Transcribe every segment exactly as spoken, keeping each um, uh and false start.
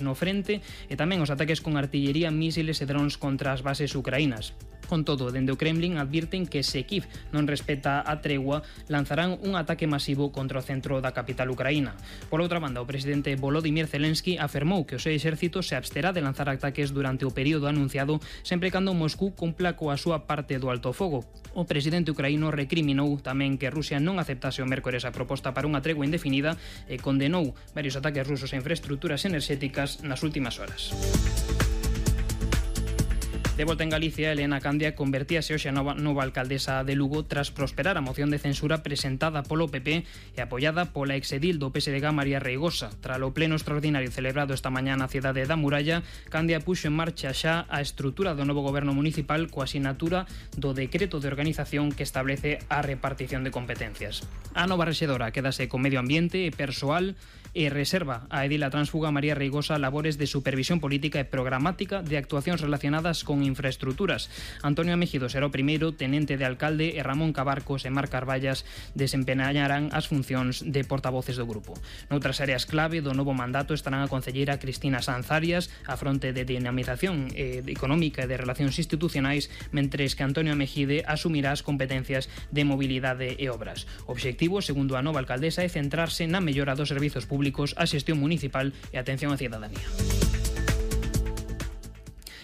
no frente e tamén os ataques con artillería, mísiles e drons contra as bases ucraínas. Con todo, dende o Kremlin advirten que se Kiev non respeta a tregua, lanzarán un ataque masivo contra o centro da capital ucraína. Por outra banda, o presidente Volodymyr Zelensky afirmou que o seu exército se absterá de lanzar ataques durante o período anunciado sempre cando Moscú cumpla coa súa parte do alto fogo. O presidente ucraíno recriminou tamén que Rusia non aceptase o mércores a proposta para unha tregua indefinida e condenou varios ataques rusos a infraestructuras enerxéticas nas últimas horas. De volta en Galicia, Elena Candia convertíase hoxe a nova, nova alcaldesa de Lugo tras prosperar a moción de censura presentada polo P P e apoiada pola exedil do P S D G María Reigosa. Tras o pleno extraordinario celebrado esta mañá na cidade da Muralla, Candia puxo en marcha xa a estrutura do novo goberno municipal coa asinatura do decreto de organización que establece a repartición de competencias. A nova rexedora quedase con medio ambiente e persoal e reserva a edila transfuga María Reigosa labores de supervisión política e programática de actuacións relacionadas con infraestructuras. Antonio Mejido será o primeiro tenente de alcalde e Ramón Cabarcos e Mar Carballas desempeñarán as funcións de portavoces do grupo. Noutras áreas clave do novo mandato estarán a concelleira Cristina Sanz Arias a fronte de dinamización eh, económica e de relacións institucionais, mentres que Antonio Mejide asumirá as competencias de mobilidade e obras. O obxectivo, segundo a nova alcaldesa, é centrarse na mellora dos servizos públicos, a xestión municipal e a atención á cidadanía.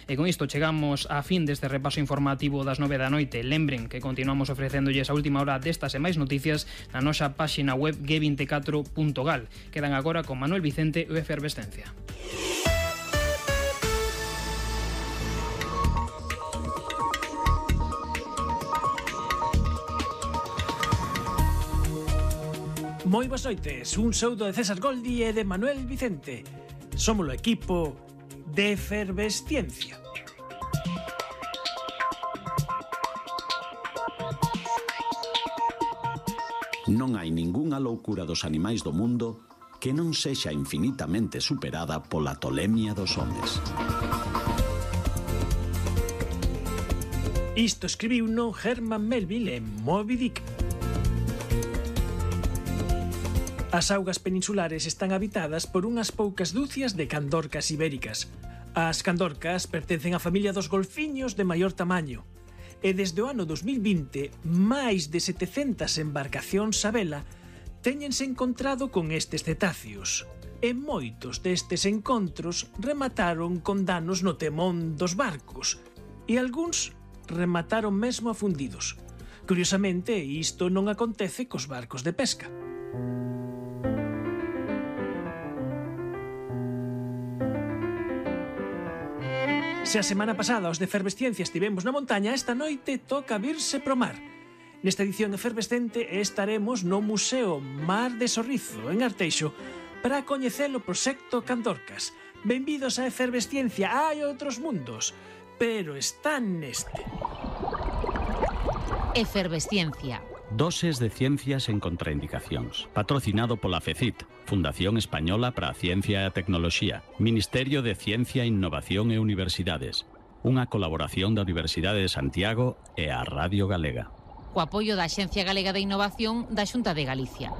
E con isto chegamos á fin deste repaso informativo das nove da noite. Lembren que continuamos ofrecéndolles a última hora destas e máis noticias na nosa páxina web g veinticatro punto gal. Quedan agora con Manuel Vicente e Efervescencia. Moi boas noites, un saúdo de César Goldi e de Manuel Vicente. Somos o equipo de Efervesciencia. Non hai ningunha loucura dos animais do mundo que non sexa infinitamente superada pola tolemia dos homes. Isto escribiu no Herman Melville en Moby Dick. As augas peninsulares están habitadas por unhas poucas dúcias de candorcas ibéricas. As candorcas pertencen á familia dos golfiños de maior tamaño. E desde o ano dos mil vinte, máis de setecentas embarcacións a vela téñense encontrado con estes cetáceos. E moitos destes encontros remataron con danos no temón dos barcos, e algúns remataron mesmo afundidos. Curiosamente, isto non acontece cos barcos de pesca. Se a semana pasada os de Efervesciencia estivemos na montaña, esta noite toca virse pro mar. Nesta edición efervescente estaremos no Museo Mar de Sorrizo, en Arteixo, para coñecer o proxecto Candorcas. Benvidos a Efervesciencia, hai outros mundos, pero están neste. Efervesciencia. Doses de ciencias en contraindicacións. Patrocinado pola FECIT, Fundación Española para a Ciencia e a Tecnoloxía, Ministerio de Ciencia, Innovación e Universidades. Unha colaboración da Universidade de Santiago e a Radio Galega. Co apoio da Axencia Galega de Innovación da Xunta de Galicia.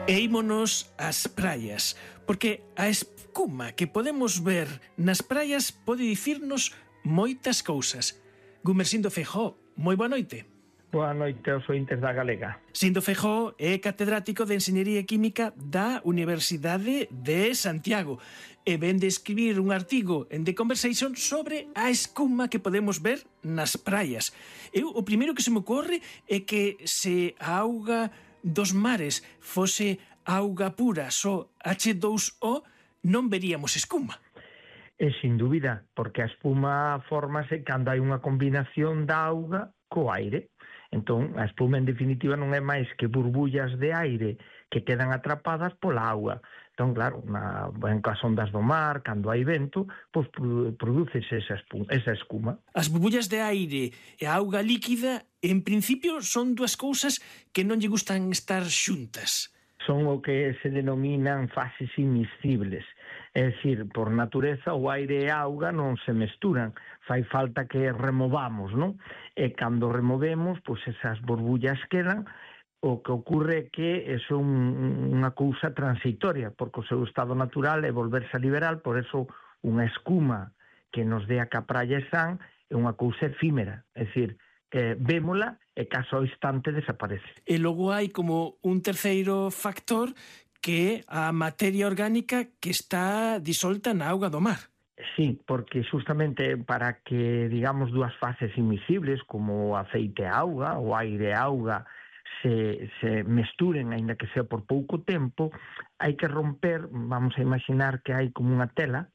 E ímonos ás praias, porque a escuma que podemos ver nas praias pode dicirnos moitas cousas. Gumersindo Feijóo, moi boa noite. Boa noite aos ointes da Galega. Sindo Feijóo é catedrático de Enxeñería Química da Universidade de Santiago e ven de escribir un artigo en The Conversation sobre a escuma que podemos ver nas praias. Eu, o primeiro que se me ocorre é que se a auga dos mares fose auga pura, só hache dous o, non veríamos escuma. E sin dúbida, porque a espuma fórmase cando hai unha combinación da auga co aire. Entón, a espuma en definitiva non é máis que burbullas de aire que quedan atrapadas pola auga. Entón, claro, na, en cas ondas do mar, cando hai vento, pois prodúcese esa, espuma, esa escuma. As burbullas de aire e a auga líquida, en principio, son dúas cousas que non lle gustan estar xuntas. Son o que se denominan fases inmiscibles. É dicir, por natureza, o aire e a auga non se mesturan. Fai falta que removamos, non? E cando removemos, pois esas borbullas quedan. O que ocorre é que é unha cousa transitoria, porque o seu estado natural é volverse a liberar, por eso unha escuma que nos dé a que a praia están é unha cousa efímera. É dicir, eh, vémola e caso ao instante desaparece. E logo hai como un terceiro factor que é a materia orgánica que está disolta na auga do mar. Sí, porque justamente para que, digamos, dúas fases invisibles como o aceite e auga, o aire e auga, se, se mesturen, aínda que sea por pouco tempo, hai que romper, vamos a imaginar que hai como unha tela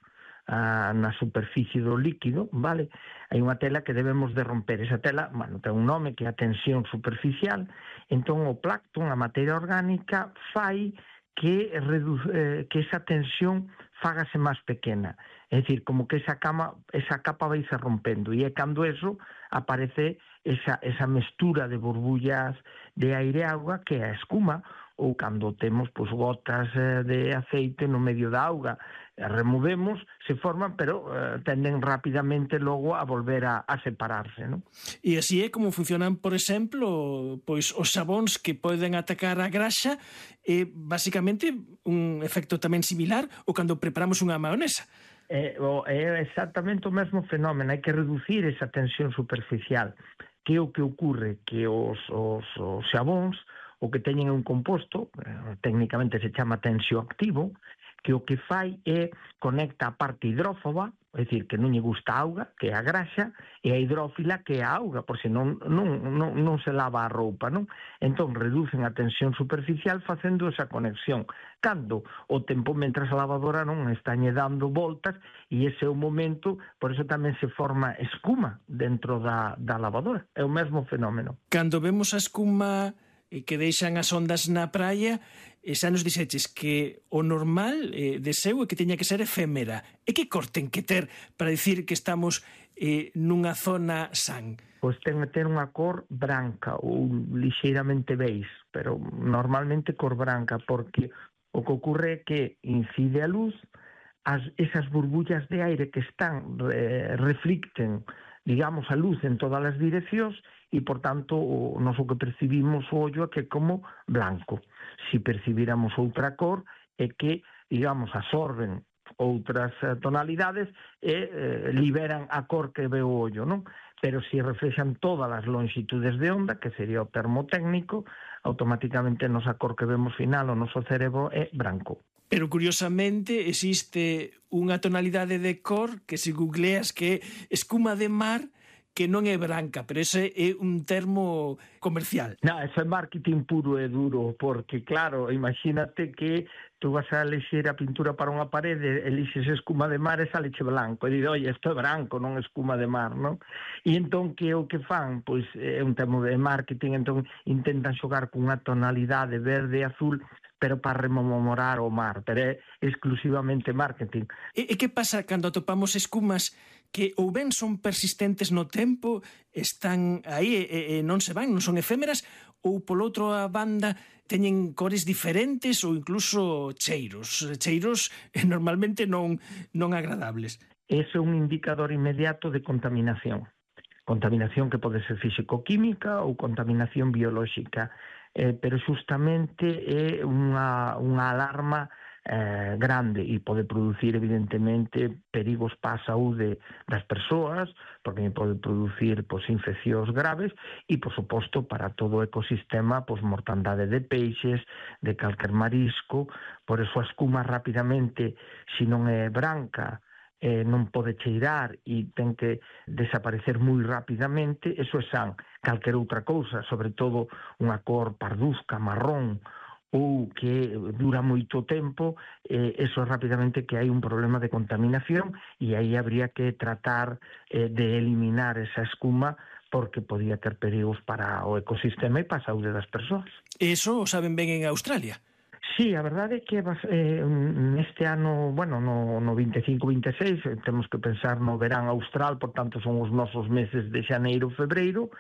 ah, na superficie do líquido, vale? Hai unha tela que debemos de romper. Esa tela, bueno, ten un nome que é a tensión superficial. Entón o plancton, a materia orgánica, fai que, reduce, eh, que esa tensión fágase máis pequena. É dicir, como que esa, cama, esa capa vai se rompendo. E é cando eso aparece esa, esa mestura de burbullas de aire e auga que é a escuma, ou cando temos pois, gotas eh, de aceite no medio da auga. Removemos, se forman, pero eh, tenden rapidamente logo a volver a, a separarse, non? E así é como funcionan, por exemplo, pois os sabóns que poden atacar a graxa, e basicamente un efecto tamén similar ou cando preparamos unha maionesa. É, é exactamente o mesmo fenómeno, hai que reducir esa tensión superficial. Que é o que ocorre? Que os, os, os sabóns, o que teñen un composto, eh, técnicamente se chama tensioactivo, que o que fai é conecta a parte hidrófoba, é dicir, que non lle gusta a auga, que é a graxa, e a hidrófila, que é a auga, por se non, non, non, non se lava a roupa, non? Entón, reducen a tensión superficial facendo esa conexión. Cando o tempo, mentras a lavadora non estañe dando voltas, e ese é o momento, por eso tamén se forma escuma dentro da, da lavadora. É o mesmo fenómeno. Cando vemos a escuma que deixan as ondas na praia, e xa nos dixeches que o normal eh, de seu é que teña que ser efémera. E que cor ten que ter para dicir que estamos eh, nunha zona san? Pois ten que ter unha cor branca ou lixeiramente beige, pero normalmente cor branca, porque o que ocorre é que incide a luz, as, esas burbullas de aire que están eh, reflicten, digamos, a luz en todas as direccións, e, por tanto, o noso que percibimos o ollo é que é como blanco. Si percibíramos outra cor, é que, digamos, absorben outras tonalidades e eh, liberan a cor que ve o ollo, non? Pero si reflexan todas as longitudes de onda, que sería o termo técnico, automáticamente a nosa cor que vemos final, o noso cerebro é branco. Pero, curiosamente, existe unha tonalidade de cor que se googleas que é escuma de mar, que non é branca, pero ese é un termo comercial. Non, eso é marketing puro e duro, porque, claro, imagínate que tú vas a elixir a pintura para unha parede, elixes escuma de mar e saleche blanco, e dices, oi, isto é branco, non escuma de mar, non? E entón, que é o que fan? Pois é un termo de marketing, entón intentan xogar con unha tonalidade verde e azul, pero para rememorar o mar, pero é exclusivamente marketing. E, e que pasa cando atopamos escumas que ou ben son persistentes no tempo, están aí e, e non se van, non son efémeras, ou polo outro a banda teñen cores diferentes ou incluso cheiros, cheiros normalmente non, non agradables? Ese é un indicador inmediato de contaminación. Contaminación que pode ser físico-química ou contaminación biolóxica. Eh, pero justamente é unha, unha alarma eh, grande e pode producir evidentemente perigos para a saúde das persoas, porque pode producir pois, infeccións graves e, por suposto, para todo o ecosistema, pois, mortandade de peixes, de calquer marisco. Por eso a escuma rapidamente, se non é branca, eh, non pode cheirar e ten que desaparecer moi rapidamente, eso é san. Calquer outra cousa, sobre todo unha cor parduzca, marrón, ou que dura moito tempo, eh, eso é rapidamente que hai un problema de contaminación e aí habría que tratar eh, de eliminar esa escuma porque podía ter perigos para o ecosistema e para a saúde das persoas. Eso o saben ben en Australia. Sí, a verdade é que eh, neste ano, bueno, no, no veinticinco veintiséis, temos que pensar no verán austral, por tanto son os nosos meses de xaneiro, febreiro,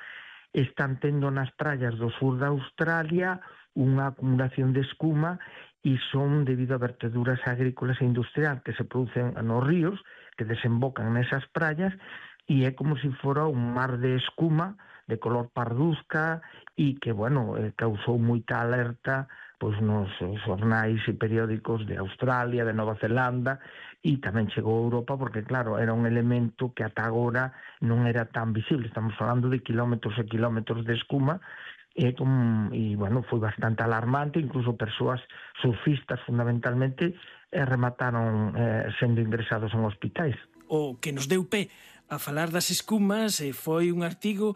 están tendo nas praias do sur da Australia unha acumulación de escuma e son debido a verteduras agrícolas e industriales que se producen nos ríos, que desembocan nesas praias, e é como se fora un mar de escuma de color parduzca e que, bueno, eh, causou moita alerta pois nos xornais e periódicos de Australia, de Nova Zelanda, e tamén chegou a Europa porque, claro, era un elemento que ata agora non era tan visible. Estamos falando de kilómetros e kilómetros de escuma, e, com, e bueno, foi bastante alarmante, incluso persoas surfistas fundamentalmente eh, remataron eh, sendo ingresados en hospitais. O que nos deu pé a falar das escumas eh, foi un artigo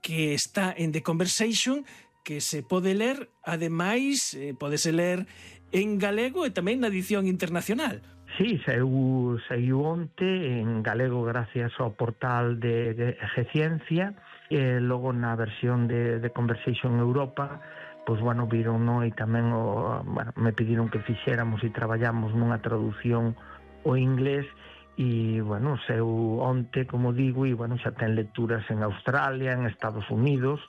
que está en The Conversation, que se pode ler, ademais, eh, podese ler en galego e tamén na edición internacional. Sí, saiu, saiu onte en galego gracias ao portal de, de G-Ciencia, e logo na versión de, de Conversation Europa, pois, bueno, viron, no, e tamén o, bueno, me pediron que fixéramos e traballamos nunha traducción ao inglés, e, bueno, seu onte, como digo, e, bueno, xa ten lecturas en Australia, en Estados Unidos.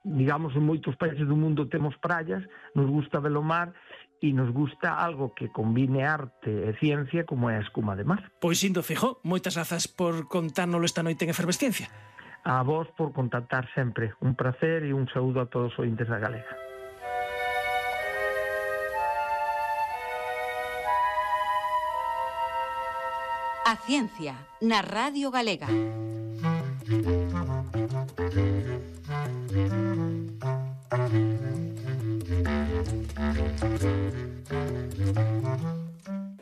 Digamos, en moitos países do mundo temos praias, nos gusta ver o mar, e nos gusta algo que combine arte e ciencia como é a escuma de mar. Pois, Indo Feijó, moitas grazas por contárnoslo esta noite en Efervesciencia. A vos por contactar sempre. Un placer e un saúdo a todos os ointes da Galega. A Ciencia, na Radio Galega.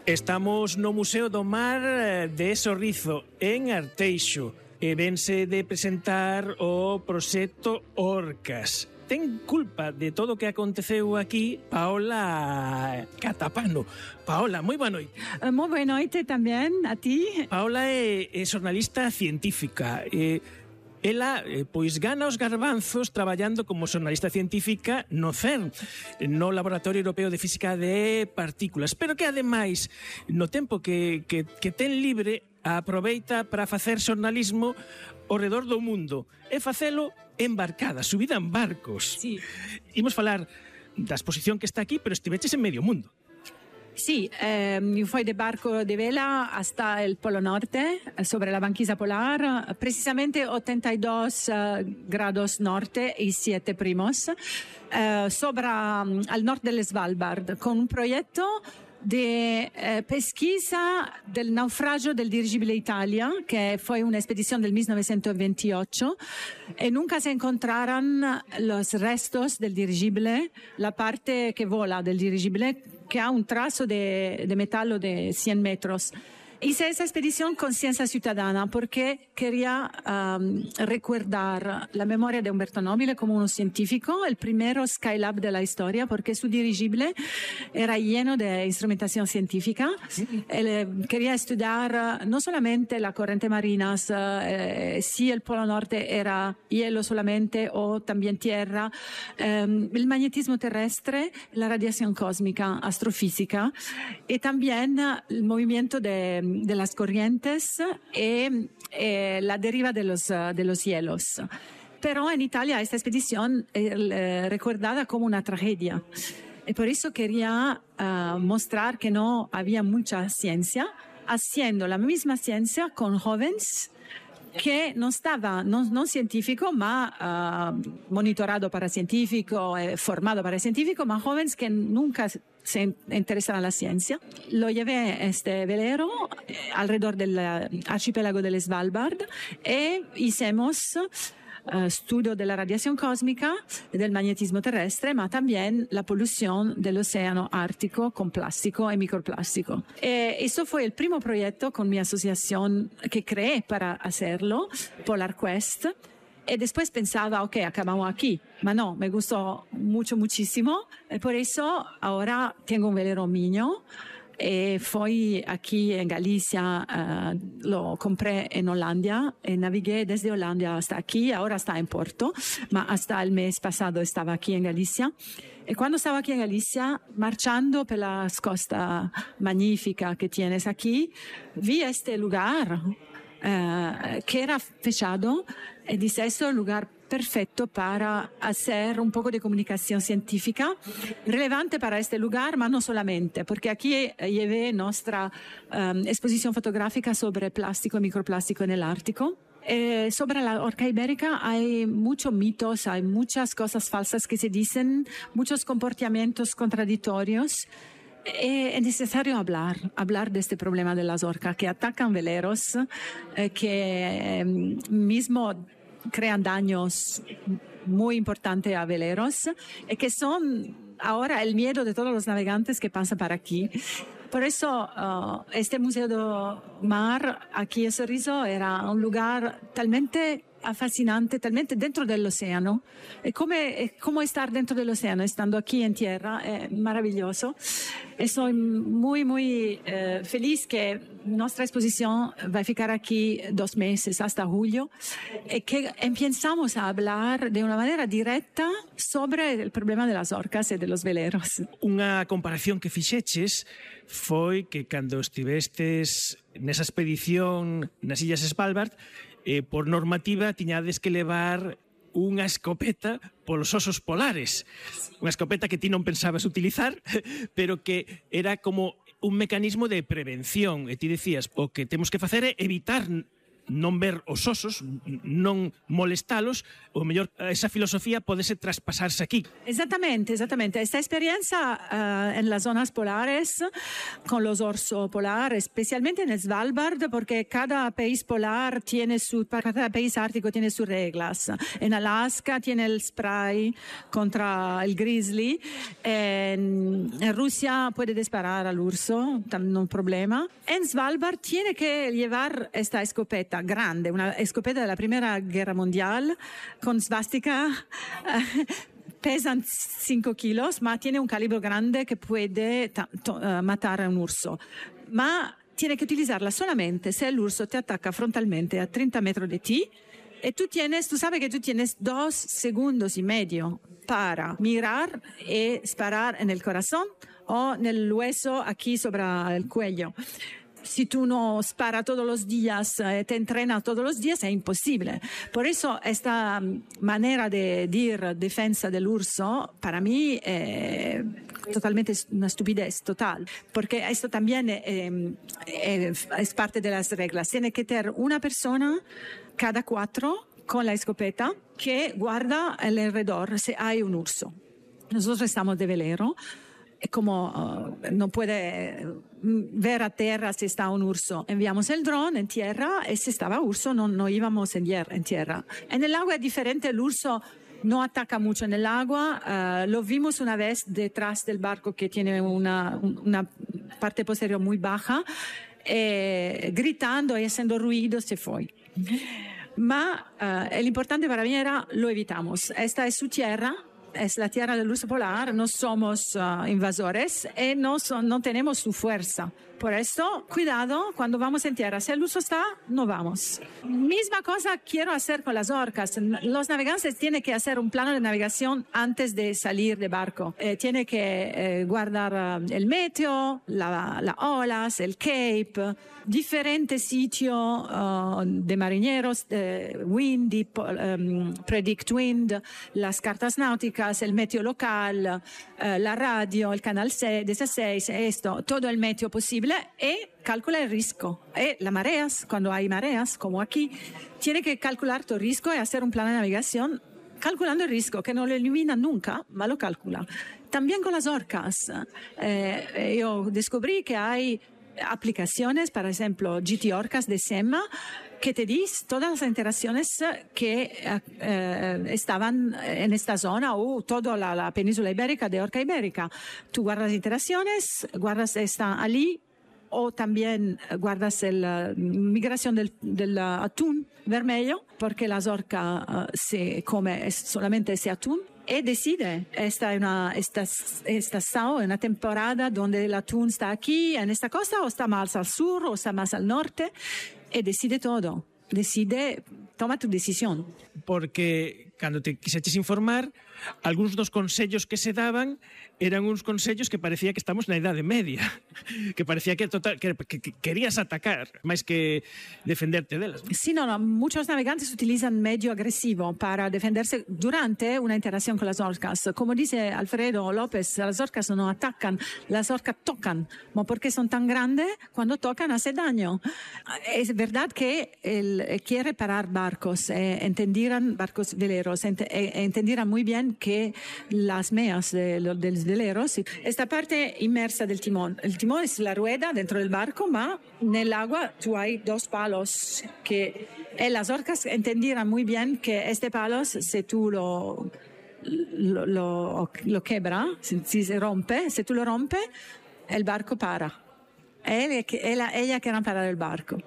Estamos no Museo do Mar de Sorrizo, en Arteixo, e vense de presentar o proxecto Orcas. Ten culpa de todo o que aconteceu aquí Paola Catapano. Paola, moi boa noite. Uh, moi boa noite tamén a ti. Paola é, é xornalista científica. E ela, eh, pois, gana os garbanzos traballando como xornalista científica no CERN, no Laboratorio Europeo de Física de Partículas, pero que, ademais, no tempo que, que, que ten libre, aproveita para facer xornalismo ao redor do mundo e facelo embarcada, subida en barcos. Sí. Imos falar da exposición que está aquí, pero estiveches en medio mundo. Sí, eh, fui de barco de vela hasta el Polo Norte, sobre la banquisa polar, precisamente ochenta y dos uh, grados norte y siete primos, uh, sobre, um, al norte del Svalbard, con un proyecto de eh, pesquisa del naufragio del dirigibile Italia, que fue una expedición del mil novecientos veintiocho, y nunca se encontraron los restos del dirigibile, la parte que vola del dirigibile, que ha un trazo de, de metal de cien metros. Hice esa expedición con Ciencia Ciudadana porque quería um, recordar la memoria de Umberto Nobile como un científico, el primero Skylab de la historia, porque su dirigible era lleno de instrumentación científica. Él quería estudiar no solamente la corriente marina, eh, si el Polo Norte era hielo solamente o también tierra, eh, el magnetismo terrestre, la radiación cósmica, astrofísica, y también el movimiento de de las corrientes y eh, la deriva de los, uh, de los hielos. Pero en Italia esta expedición es eh, recordada como una tragedia. Y por eso quería uh, mostrar que no había mucha ciencia, haciendo la misma ciencia con jóvenes que no estaba, no, no científico, ma uh, monitorado para científico, eh, formado para científico, ma jóvenes que nunca se interesan a la ciencia. Lo llevé este velero eh, alrededor del archipiélago del Svalbard e hicimos Uh, estudio de la radiación cósmica, del magnetismo terrestre, ma también la polución del océano ártico con plástico y microplástico. Eh, eso fue el primer proyecto con mi asociación que creé para hacerlo, Polar Quest. Y después pensaba, ok, acabamos aquí. Ma no, me gustó mucho, muchísimo. Y por eso ahora tengo un velero mío. E fui aquí en Galicia, uh, lo compré en Holanda y navigué desde Holanda hasta aquí, ahora está en Porto, ma hasta el mes pasado estaba aquí en Galicia. Y cuando estaba aquí en Galicia, marchando por la costa magnífica que tienes aquí, vi este lugar uh, que era fechado y dije, este es el lugar perfecto para hacer un poco de comunicación científica, relevante para este lugar, pero no solamente, porque aquí llevé nuestra um, exposición fotográfica sobre plástico y microplástico en el Ártico. Eh, sobre la orca ibérica hay muchos mitos, hay muchas cosas falsas que se dicen, muchos comportamientos contradictorios. Es necesario hablar, hablar de este problema de las orcas que atacan veleros, eh, que eh, mismo crean daños muy importantes a veleros y que son ahora el miedo de todos los navegantes que pasan por aquí. Por eso uh, este Museo del Mar aquí en Sorriso era un lugar talmente fascinante, talmente dentro del océano. Es como, es como estar dentro del océano, estando aquí en tierra, es maravilloso. Estoy muy, muy eh, feliz que nuestra exposición va a ficar aquí dos meses, hasta julio, y que empezamos a hablar de una manera directa sobre el problema de las orcas y de los veleros. Unha comparación que fixeches foi que cando estivestes nesa expedición nas Illas Svalbard, eh, por normativa tiñades que levar unha escopeta polos osos polares. Unha escopeta que ti non pensabas utilizar, pero que era como un mecanismo de prevención. E ti decías, o que temos que facer é evitar non ver os osos, non molestalos, o mellor esa filosofía podese traspasarse aquí. Exactamente, exactamente. Esta experiencia uh, en las zonas polares con los osos polares, especialmente en Svalbard, porque cada país polar tiene su, cada país ártico tiene sus reglas. En Alaska tiene el spray contra el grizzly, en, en Rusia puede disparar al urso, no hay problema. En Svalbard tiene que llevar esta escopeta grande, una escopeta de la Primera Guerra Mundial con svastica, uh, pesan cinco kilos, ma tiene un calibro grande que puede ta- to- uh, matar a un urso. Ma tiene que utilizarla solamente si el urso te ataca frontalmente a treinta metros de ti y tú tienes, tú sabes que tú tienes dos segundos y medio para mirar y disparar en el corazón o en el hueso aquí sobre el cuello. Si tú no sparas todos los días, eh, te entrenas todos los días, es imposible. Por eso esta manera de decir defensa del urso, para mí, es totalmente una estupidez total. Porque esto también eh, eh, es parte de las reglas. Tiene que tener una persona cada cuatro con la escopeta que guarda alrededor si hay un urso. Nosotros estamos de velero. Como uh, no puede ver a tierra si está un urso, enviamos el dron en tierra y si estaba urso no, no íbamos en, en tierra. En el agua es diferente, el urso no ataca mucho en el agua, uh, lo vimos una vez detrás del barco que tiene una, una parte posterior muy baja, eh, gritando y haciendo ruido se fue. Ma uh, el importante para mí era lo evitamos, esta es su tierra. Es la tierra del urso polar, no somos uh, invasores y no, son, no tenemos su fuerza. Por eso, cuidado cuando vamos en tierra. Si el urso está, no vamos. Misma cosa quiero hacer con las orcas. Los navegantes tienen que hacer un plano de navegación antes de salir de barco. Eh, tienen que eh, guardar uh, el meteo, las la olas, el cape, diferentes sitios uh, de marineros, eh, windy, um, predict wind, las cartas náuticas, el meteo local, uh, la radio, el canal dieciséis, esto, todo el meteo posible. E calcula el riesgo. E las mareas, cuando hay mareas, como aquí, tiene que calcular tu riesgo y hacer un plan de navegación calculando el riesgo, que no lo elimina nunca, ma lo calcula. También con las orcas. Eh, yo descubrí que hay aplicaciones, por ejemplo, G T Orcas de SEMA, que te dice todas las interacciones que eh, estaban en esta zona o toda la, la península ibérica de orca ibérica. Tú guardas interacciones, guardas esta allí, o también guardas la migración del, del atún vermelho, porque las orcas uh, se come solamente ese atún. Y decide, esta es una esta, esta sao, una temporada donde el atún está aquí, en esta costa, o está más al sur, o está más al norte, y decide todo. Decide, toma tu decisión. Porque cando te quixeches informar, algúns dos consellos que se daban eran uns consellos que parecía que estamos na Idade Media, que parecía que, total, que, que, que querías atacar, máis que defenderte delas. Sí, no, no, muchos navegantes utilizan medio agresivo para defenderse durante una interacción con las orcas. Como dice Alfredo López, las orcas no atacan, las orcas tocan, ¿no? Porque son tan grandes, cuando tocan hace daño. Es verdad que él quiere parar barcos, eh, entendieran barcos veleros, ent eh, entendieran muy bien que las meas de, de, de los veleros, esta parte inmersa del timón, el timón es la rueda dentro del barco, ma nel agua tú hay dos palos que eh, las orcas entendieran muy bien que este palos, si tú lo lo, lo, lo quebra, si, si se rompe, si tú lo rompes, el barco para. Él, ella, ella quiere parar el barco.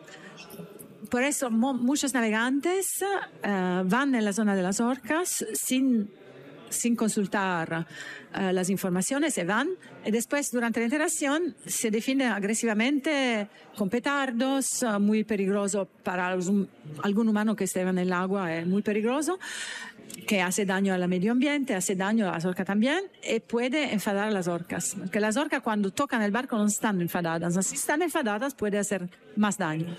Por eso muchos navegantes uh, van en la zona de las orcas sin, sin consultar uh, las informaciones, se van y después durante la interacción se defienden agresivamente con petardos, uh, muy peligroso para los, algún humano que esté en el agua, es muy peligroso, que hace daño al medio ambiente, hace daño a las orcas también y puede enfadar a las orcas. Porque las orcas cuando tocan el barco no están enfadadas, si están enfadadas puede hacer más daño.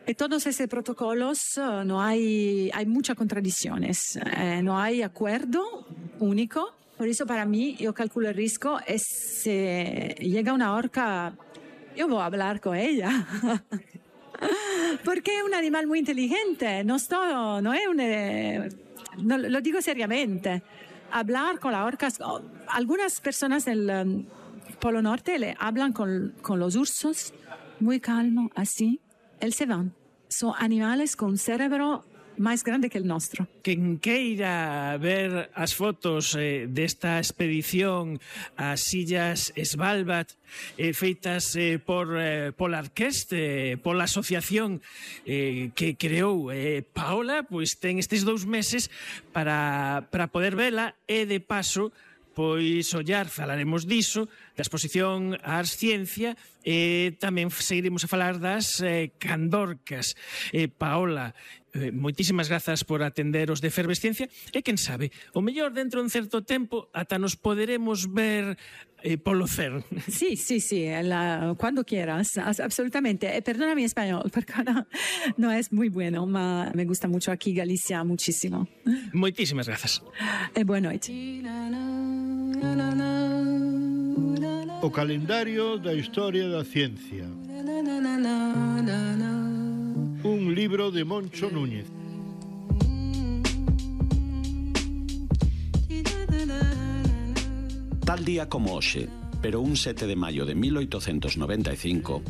Y todos esos protocolos uh, no hay, hay muchas contradicciones, eh, no hay acuerdo único. Por eso para mí yo calculo el riesgo es si llega una orca, yo voy a hablar con ella. Porque es un animal muy inteligente, no, estoy, no es un... Eh, no, lo digo seriamente. Hablar con las orcas, oh, algunas personas del um, Polo Norte le hablan con, con los ursos, muy calmo, así. Él se van. Son animales con un cerebro máis grande que el nostro. Quen queira ver as fotos eh, desta expedición ás illas Svalbard eh, feitas eh, por eh, pola Orquest, eh, pola asociación eh, que creou eh, Paola, pois ten estes dous meses para, para poder vela e de paso pois ollar, falaremos diso, da exposición Ars Ciencia e tamén seguiremos a falar das eh, candorcas. Eh, Paola, eh, moitísimas grazas por atender os de Efervesciencia e quen sabe, o mellor dentro de un certo tempo ata nos poderemos ver eh, polo C E R N. Sí, sí, sí, la, cuando quieras, absolutamente. Eh, perdona mi español, porque no, no es muy bueno, ma me gusta mucho aquí Galicia, muchísimo. Moitísimas grazas. E boa noite. O calendario da historia da ciencia. Un libro de Moncho Núñez. Tal día como hoxe, pero un sete de maio de mil oitocentos noventa e cinco,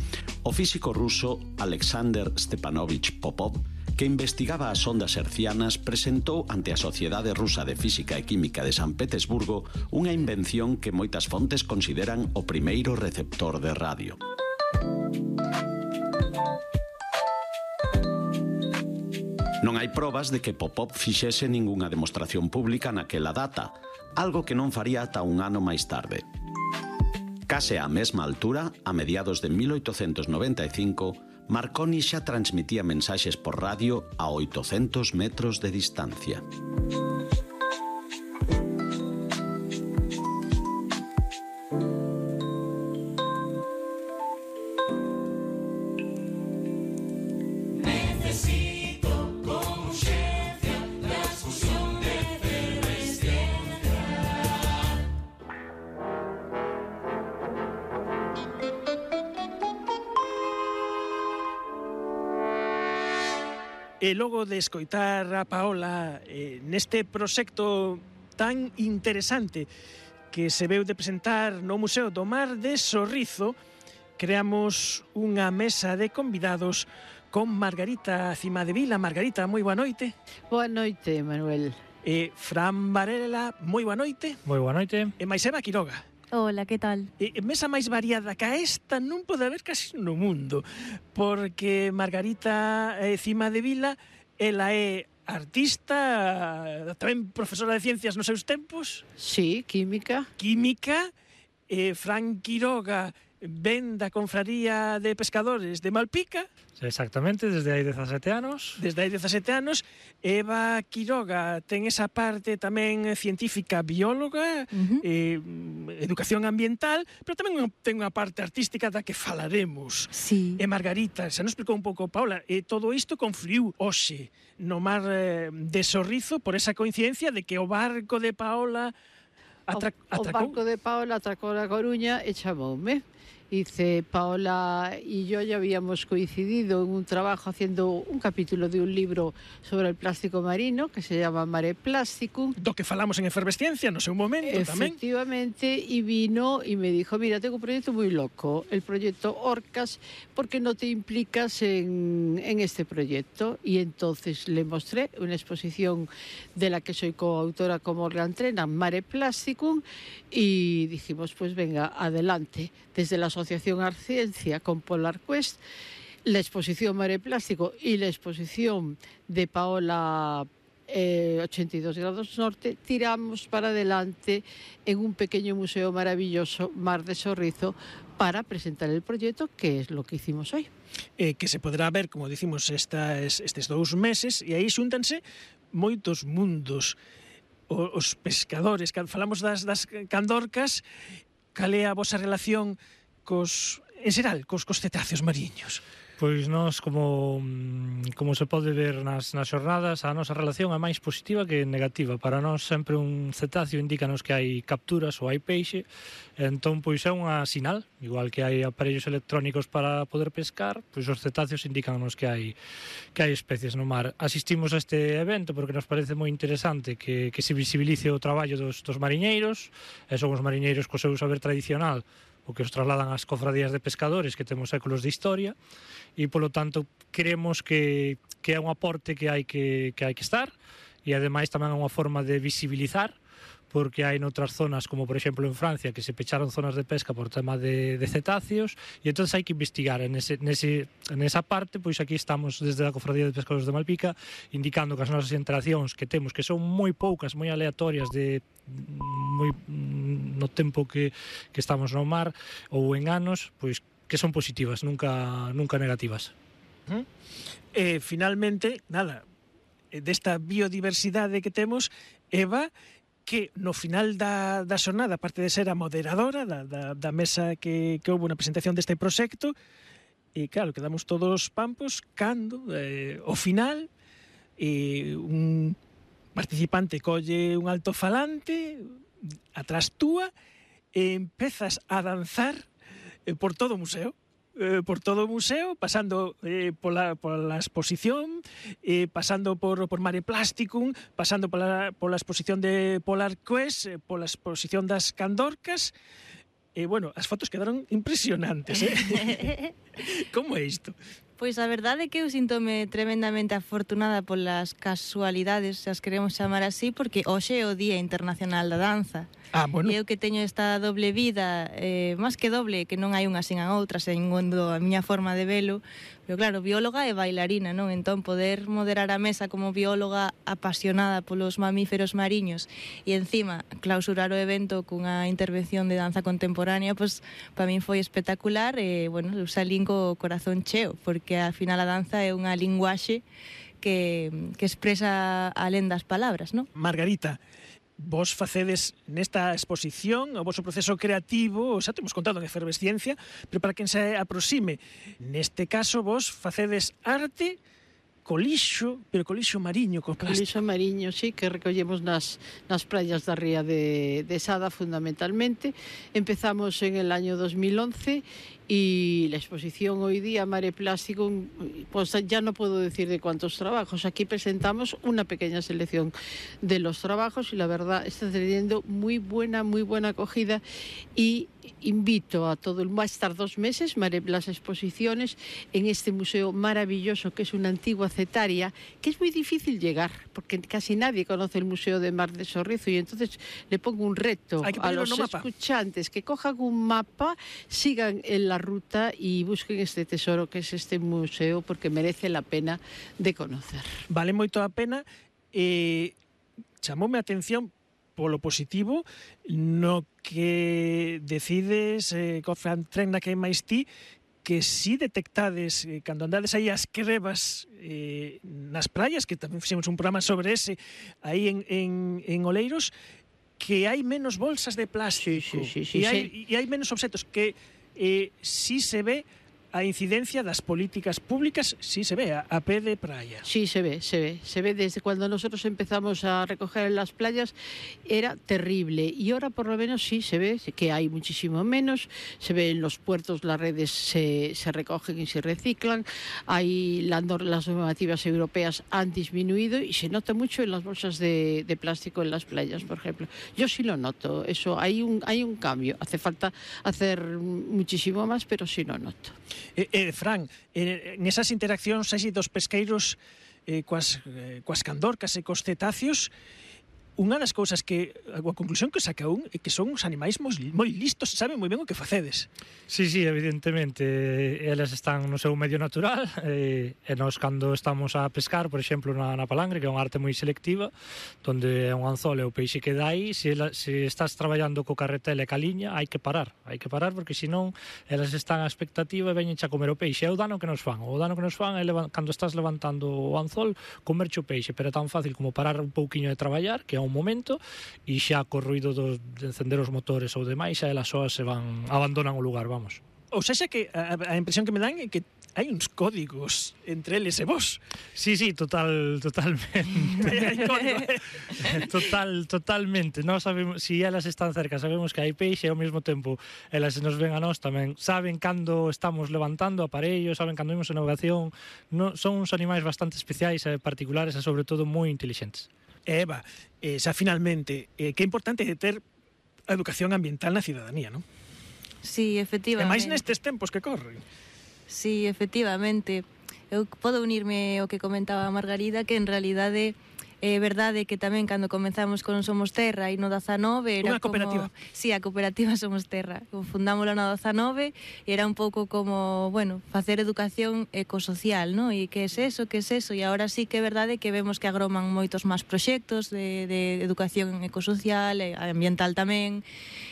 o físico ruso Alexander Stepanovich Popov, que investigaba as ondas hercianas, presentou ante a Sociedade Rusa de Física e Química de San Petersburgo unha invención que moitas fontes consideran o primeiro receptor de radio. Non hai probas de que Popov fixese ningunha demostración pública naquela data, algo que non faría ata un ano máis tarde. Case á mesma altura, a mediados de mil oitocentos noventa e cinco, Marconi xa transmitía mensaxes por radio a oitocentos metros de distancia. E logo de escoitar a Paola eh, neste proxecto tan interesante que se veu de presentar no Museo do Mar de Sorrizo, creamos unha mesa de convidados con Margarita Cimadevila. Margarita, moi boa noite. Boa noite, Manuel. E Fran Varela, moi boa noite. Moi boa noite. E Maisema Quiroga. Hola, que tal? E mesa máis variada que esta non pode haber casi no mundo, porque Margarita eh, Cimadevila, ela é artista, tamén profesora de ciencias nos seus tempos. Sí, química. Química. Eh, Fran Quiroga ven da Confraría de Pescadores de Malpica. Exactamente, desde hai dezasete anos. Desde hai dezasete anos. Eva Quiroga ten esa parte tamén científica bióloga, uh-huh. eh, educación ambiental, pero tamén ten unha parte artística da que falaremos. Sí. E Margarita, xa nos explicou un pouco Paula, e todo isto confluiu hoxe no mar eh, de Sorrizo por esa coincidencia de que o barco de Paola Atra o, o barco de Paola atracou a Coruña e chamoume. Dice, Paola y yo ya habíamos coincidido en un trabajo haciendo un capítulo de un libro sobre el plástico marino que se llama Mare Plasticum. Do que falamos en Efervesciencia no seu momento tamén. Efectivamente, y vino y me dijo, mira, tengo un proyecto muy loco, el proyecto Orcas, ¿por qué no te implicas en, en este proyecto? Y entonces le mostré una exposición de la que soy coautora con Morgan Trena, Mare Plasticum, y dijimos, pues venga, adelante. Desde la Asociación Arciencia con Polar Quest, la exposición Mare Plástico y la exposición de Paola eh, ochenta y dos grados norte, tiramos para adelante en un pequeño museo maravilloso, Mar de Sorrizo, para presentar el proyecto, que es lo que hicimos hoy. Eh, que se poderá ver, como dicimos, estas, estes dous meses, e aí xúntanse moitos mundos. O, os pescadores, cando falamos das, das candorcas, cal é a vosa relación cos, en xeral, cos, cos cetáceos mariños? Pois nós, como, como se pode ver nas, nas xornadas, a nosa relación é máis positiva que negativa. Para nós sempre un cetáceo indícanos que hai capturas ou hai peixe, entón pois é unha sinal, igual que hai aparellos electrónicos para poder pescar, pois os cetáceos indícanos que hai que hai especies no mar. Asistimos a este evento porque nos parece moi interesante que, que se visibilice o traballo dos, dos mariñeiros, e son os mariñeiros co seu saber tradicional o que os trasladan ás cofradías de pescadores que temos séculos de historia, e polo tanto creemos que, que é un aporte que hai que, que hai que estar, e ademais tamén é unha forma de visibilizar, porque hai noutras zonas, como por exemplo en Francia, que se pecharon zonas de pesca por tema de, de cetáceos, e entón hai que investigar en ese, nese, nesa parte. Pois aquí estamos desde a Cofradía de Pescadores de Malpica indicando que as nosas interaccións que temos, que son moi poucas, moi aleatorias, de moi no tempo que, que estamos no mar ou en anos, pois que son positivas, nunca, nunca negativas. Uh-huh. E finalmente, nada, desta biodiversidade que temos, Eva, que no final da, da xornada, aparte de ser a moderadora da, da, da mesa que, que houve na presentación deste proxecto, e claro, quedamos todos pampos cando, eh, ao final, eh, un participante colle un alto-falante atrás túa e empezas a danzar eh, por todo o museo. Eh, por todo o museo, pasando eh, pola, pola exposición, eh, pasando por, por Mare Plasticum, pasando pola, pola exposición de Polar Quest, eh, pola exposición das Candorcas. E, eh, bueno, as fotos quedaron impresionantes, eh? Como é isto? Pois a verdade é que eu síntome tremendamente afortunada polas casualidades, se as queremos chamar así, porque hoxe é o Día Internacional da Danza. Ah, bueno. E eu que teño esta doble vida, eh, máis que doble, que non hai unha sin a outra, segundo a miña forma de velo, pero claro, bióloga e bailarina, non? Entón, poder moderar a mesa como bióloga apasionada polos mamíferos mariños e encima clausurar o evento cunha intervención de danza contemporánea, pois para min foi espectacular e, bueno, eu salín co corazón cheo, porque ao final a danza é unha linguaxe que, que expresa alén das palabras, non? Margarita, vos facedes nesta exposición o voso proceso creativo, xa temos contado en Efervesciencia, pero para quen se aproxime, neste caso vos facedes arte co lixo, pero co lixo mariño, co plástico. Co lixo mariño, sí, que recollemos nas, nas praias da ría de, de Sada, fundamentalmente. Empezamos en el año dos mil once y la exposición hoy día Mare Plástico, pues ya no puedo decir de cuántos trabajos. Aquí presentamos una pequeña selección de los trabajos y la verdad está teniendo muy buena, muy buena acogida, y invito a todo el mundo a estar dos meses Mare, las exposiciones en este museo maravilloso que es una antigua cetaria, que es muy difícil llegar porque casi nadie conoce el Museo de Mar de Sorrizo, y entonces le pongo un reto a los escuchantes que cojan un mapa, sigan en la ruta y busquen este tesoro que es este museo, porque merece la pena de conocer. Vale moito a pena. Eh, chamoume a atención polo positivo, no que decides, eh, Fran Trenna, que é máis ti, que si detectades, eh, cando andades aí as crebas eh, nas praias, que tamén fixemos un programa sobre ese, aí en, en, en Oleiros, que hai menos bolsas de plástico, sí, sí, sí, e, hai, sí. e hai menos obxetos, que eh, si se ve a incidencia das políticas públicas, sí se ve, a, a pé de praia. Sí, se ve, se ve. Se ve desde cuando nosotros empezamos a recoger en las playas, era terrible. Y ahora por lo menos sí se ve que hay muchísimo menos. Se ve en los puertos, las redes se, se recogen y se reciclan. Hay la, las normativas europeas han disminuido y se nota mucho en las bolsas de, de plástico en las playas, por ejemplo. Yo sí lo noto. Eso, hay un, hay un cambio. Hace falta hacer muchísimo más, pero sí lo noto. Eh, eh, Fran, eh, nesas interaccións así dos pesqueiros eh, coas, eh, coas candorcas e cos cetáceos, unha das cousas que, a conclusión que saca un é que son uns animais moi, moi listos, saben moi ben o que facedes. Sí, sí, evidentemente, eles están no seu medio natural, e, e nós cando estamos a pescar, por exemplo, na, na palangre, que é unha arte moi selectiva, donde é un anzol e o peixe que dá aí, se, ela, se estás traballando co carretel e ca liña, hai que parar, hai que parar, porque senón elas están a expectativa e veñen a comer o peixe. É o dano que nos fan, o dano que nos fan é cando estás levantando o anzol, comerche o peixe, pero é tan fácil como parar un pouquiño de traballar, que é un momento, e xa co ruido do, de encender os motores ou demais, xa elas soas se van, abandonan o lugar, vamos. Ou seja, que a, a impresión que me dan é que hai uns códigos entre eles e vos. Sí, sí, total, totalmente. Total, totalmente. Nós sabemos, si elas están cerca, sabemos que hai peixe e ao mesmo tempo elas nos ven a nós tamén. Saben cando estamos levantando aparellos, saben cando imos en navegación. No, son uns animais bastante especiais e particulares e sobre todo moi intelixentes. Eva, eh, xa finalmente, eh, que é importante ter a educación ambiental na cidadanía, non? Sí, efectivamente. E máis nestes tempos que corren. Sí, efectivamente. Eu podo unirme ao que comentaba a Margarida, que en realidade é verdade que tamén cando comenzamos con Somos Terra e no dezanove era unha cooperativa. Como, sí, a cooperativa Somos Terra. Fundámosla no dezanove e era un pouco como, bueno, facer educación ecosocial, ¿no? E que é eso, que é eso? E agora sí que é verdade que vemos que agroman moitos máis proxectos de, de educación ecosocial e ambiental tamén,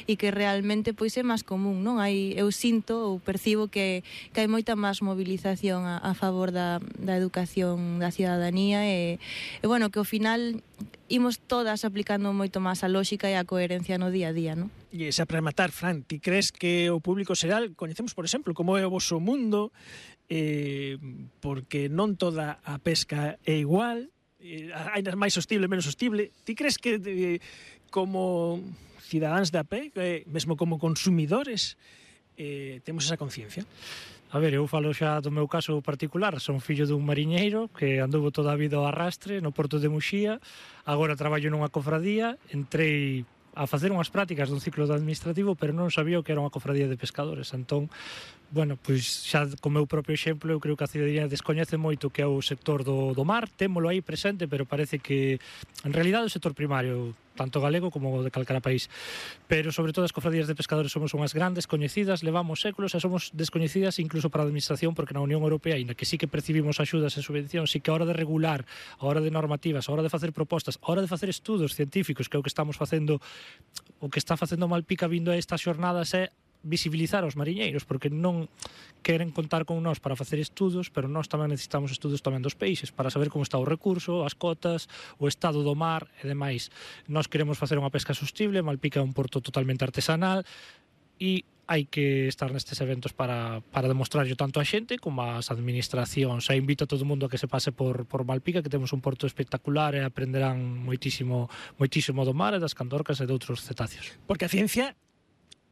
e que realmente pois é máis común, non? Hai, eu sinto ou percibo que, que hai moita máis movilización a, a favor da, da educación da cidadanía e, e bueno, que ao final imos todas aplicando moito máis a lógica e a coherencia no día a día, non? E xa para rematar, Fran, ti crees que o público xeral coñecemos, por exemplo, como é o vosso mundo, eh, porque non toda a pesca é igual, eh, hai máis sostible, menos sostible. Ti crees que eh, como cidadáns de a pé, eh, mesmo como consumidores, eh, temos esa conciencia? A ver, eu falo xa do meu caso particular, son fillo dun mariñeiro que anduvo toda a vida ao arrastre no porto de Muxía, agora traballo nunha cofradía, entrei a facer unhas prácticas dun ciclo administrativo, pero non sabía o que era unha cofradía de pescadores, entón, bueno, pois xa co meu propio exemplo, eu creo que a cidadanía descoñece moito que é o sector do, do mar, témolo aí presente, pero parece que, en realidade, o sector primario, tanto galego como de calcara país, pero sobre todo as cofradías de pescadores somos unhas grandes coñecidas, levamos séculos e somos descoñecidas incluso para a administración, porque na Unión Europea, ainda que sí que percibimos axudas e subvencións, sí que a hora de regular, a hora de normativas, a hora de facer propostas, a hora de facer estudos científicos, que é o que estamos facendo, o que está facendo Malpica vindo a estas xornadas é visibilizar aos mariñeiros, porque non queren contar con nós para facer estudos, pero nós tamén necesitamos estudos tamén dos peixes para saber como está o recurso, as cotas, o estado do mar e demais. Nós queremos facer unha pesca sostible, Malpica é un porto totalmente artesanal e hai que estar nestes eventos para, para demostrarlo tanto a xente como as administracións. E invito a todo o mundo a que se pase por, por Malpica, que temos un porto espectacular e aprenderán moitísimo, moitísimo do mar e das candorcas e de outros cetáceos. Porque a ciencia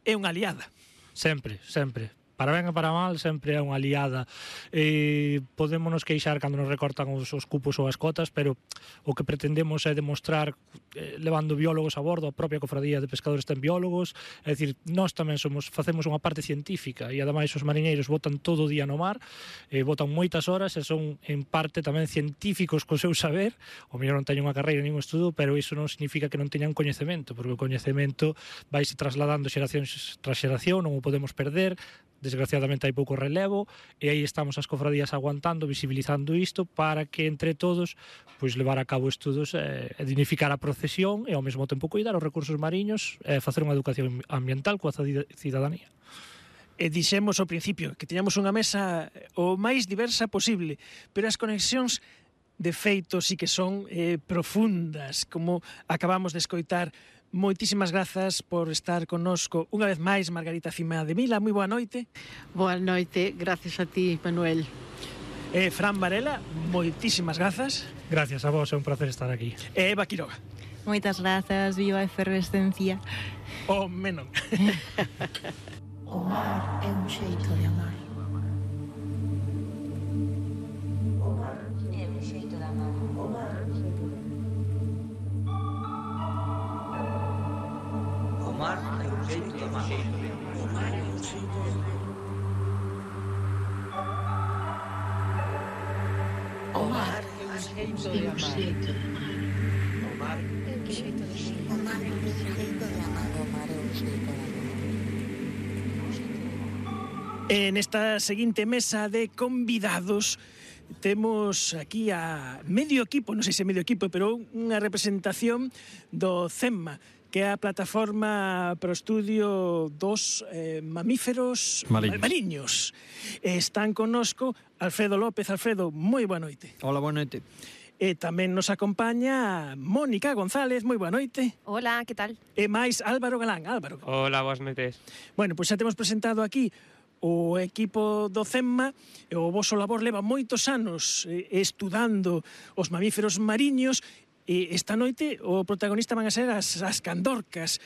é unha aliada. Sempre, sempre. Para ben e para mal, sempre é unha aliada. Eh, podémonos queixar cando nos recortan os, os cupos ou as cotas, pero o que pretendemos é demostrar, eh, levando biólogos a bordo, a propia cofradía de pescadores ten biólogos, é dicir, nós tamén somos, facemos unha parte científica, e ademais os mariñeiros botan todo o día no mar, eh, botan moitas horas, e son en parte tamén científicos co seu saber, o mellor non teñen unha carreira nin un estudo, pero iso non significa que non teñan coñecemento, porque o coñecemento vaise trasladando xeracións tras xeración, non o podemos perder. desgraciadamente hai pouco relevo, e aí estamos as cofradías aguantando, visibilizando isto, para que entre todos pois levar a cabo estudos e eh, dignificar a procesión e ao mesmo tempo cuidar os recursos mariños e eh, facer unha educación ambiental coa cidadanía. E dixemos ao principio que teñamos unha mesa o máis diversa posible, pero as conexións de feito sí que son eh, profundas, como acabamos de escoitar. Moitísimas grazas por estar connosco unha vez máis, Margarita Cima de Vila. Moi boa noite. Boa noite, gracias a ti, Manuel. E Fran Varela, moitísimas grazas. Gracias a vos, é un placer estar aquí. E Eva Quiroga. Moitas grazas, viva a efervescencia. O menon. O mar é un xeito de amar. O mar é un xeito de amar. O mar O mar é un xeito de amar. O mar é un xeito de amar. O mar é un xeito de amar. O mar é un xeito de amar. O mar é un xeito de amar. O mar é un xeito de amar. E nesta seguinte mesa de convidados temos aquí a medio equipo, non sei se medio equipo, pero unha representación do CEMMA, que é a plataforma para o estudio dos eh, mamíferos mariños. mariños. E están connosco Alfredo López. Alfredo, moi boa noite. Hola, boa noite. E tamén nos acompaña Mónica González. Moi boa noite. Hola, que tal? E máis Álvaro Galán. Álvaro. Hola, boas noites. Bueno, pois xa temos presentado aquí o equipo do CEMMA. E o voso labor leva moitos anos eh, estudando os mamíferos mariños. E esta noite o protagonista van a ser as, as candorcas,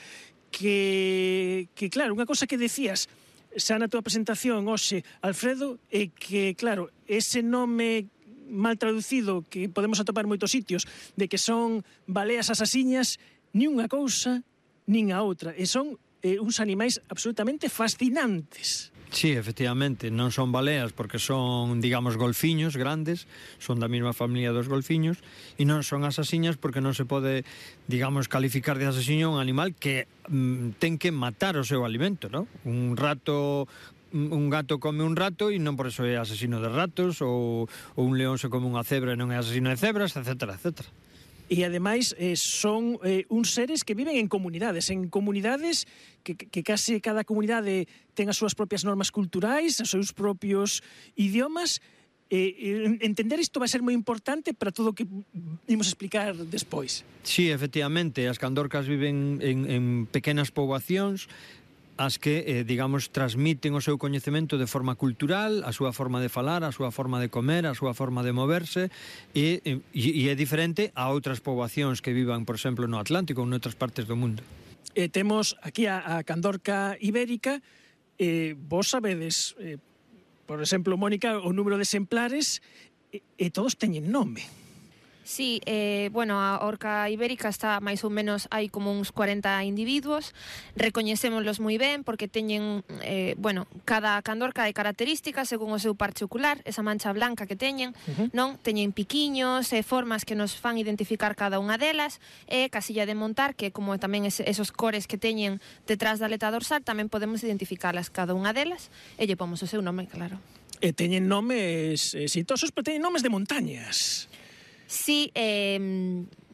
que, que claro, unha cosa que decías xa na tua presentación hoxe, Alfredo, é que, claro, ese nome mal traducido que podemos atopar en moitos sitios, de que son baleas asasiñas, ni unha cousa, nin a outra, e son eh, uns animais absolutamente fascinantes. Sí, efectivamente, non son baleas porque son, digamos, golfiños grandes, son da mesma familia dos golfiños, e non son asasiñas porque non se pode, digamos, calificar de asasiño un animal que mm, ten que matar o seu alimento, non? Un rato, un gato come un rato e non por eso é asesino de ratos, ou, ou un león se come unha cebra e non é asesino de cebras, etcétera, etcétera. E ademais eh, son eh, uns seres que viven en comunidades, en comunidades que, que case cada comunidade ten as súas propias normas culturais, os seus propios idiomas. Eh, entender isto vai ser moi importante para todo o que imos explicar despois. Sí, efectivamente, as candorcas viven en, en pequenas poboacións, as que, eh, digamos, transmiten o seu coñecemento de forma cultural, a súa forma de falar, a súa forma de comer, a súa forma de moverse, e, e, e é diferente a outras poboacións que vivan, por exemplo, no Atlántico ou noutras partes do mundo. E temos aquí a, a candorca ibérica. Eh, vos sabedes, eh, por exemplo, Mónica, o número de exemplares, e, e todos teñen nome. Sí, eh, bueno, a orca ibérica está máis ou menos, hai como uns cuarenta individuos, recoñecémoslos moi ben porque teñen, eh, bueno, cada candorca é característica según o seu parche ocular, esa mancha blanca que teñen, uh-huh. non? Teñen piquiños e formas que nos fan identificar cada unha delas, e casilla de montar, que como tamén es, esos cores que teñen detrás da aleta dorsal, tamén podemos identificarlas cada unha delas, e lle pomos o seu nome, claro. E teñen nomes exitosos, pero teñen nomes de montañas. Sí, eh,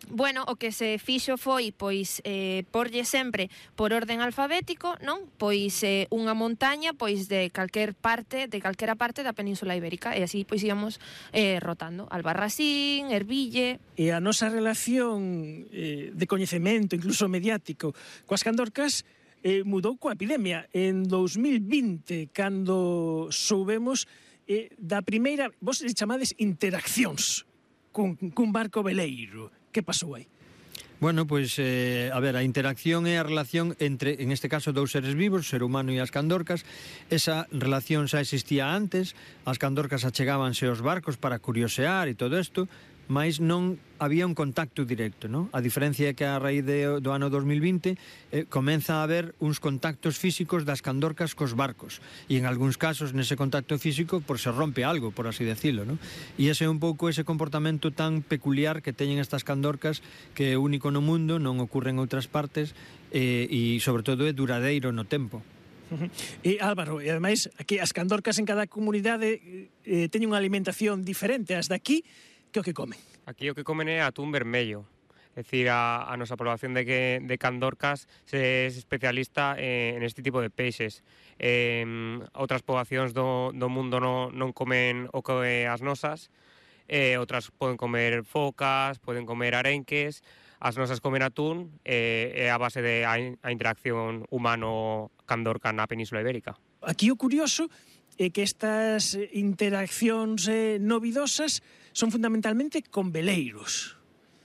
bueno, o que se fixo foi, pois, eh, porlle sempre por orden alfabético, non? Pois eh, unha montaña, pois, de calquer parte, de calquera parte da Península Ibérica, e así, pois, íamos eh, rotando. Albarracín, Erville... E a nosa relación eh, de coñecemento, incluso mediático, coas candorcas, eh, mudou coa epidemia. En dos mil vinte, cando soubemos eh, da primeira, vos chamades interaccións, cun, cun barco veleiro. Que pasou aí? Bueno, pois, eh, a ver, a interacción é a relación entre, en este caso, dous seres vivos, o ser humano e as candorcas. Esa relación xa existía antes, as candorcas achegábanse aos barcos para curiosear e todo isto, mas non había un contacto directo, non? A diferencia é que a raíz de, do ano dos mil vinte eh, comeza a haber uns contactos físicos das candorcas cos barcos, e en algúns casos nese contacto físico por se rompe algo, por así decirlo, non? E ese é un pouco ese comportamento tan peculiar que teñen estas candorcas, que é único no mundo, non ocurre en outras partes, eh, e sobre todo é duradeiro no tempo. E Álvaro, e ademais, aquí as candorcas en cada comunidade eh, teñen unha alimentación diferente. As daqui, que o que comen? Aquí o que comen é atún vermello. É dicir, a, a nosa población de, que, de candorcas se es especialista en, en este tipo de peixes. Eh, outras poboacións do, do mundo non, non comen o que as nosas, eh, outras poden comer focas, poden comer arenques, as nosas comen atún, e eh, a base de a, a interacción humano-candorca na Península Ibérica. Aquí o curioso é que estas interaccións eh, novidosas son fundamentalmente con veleiros.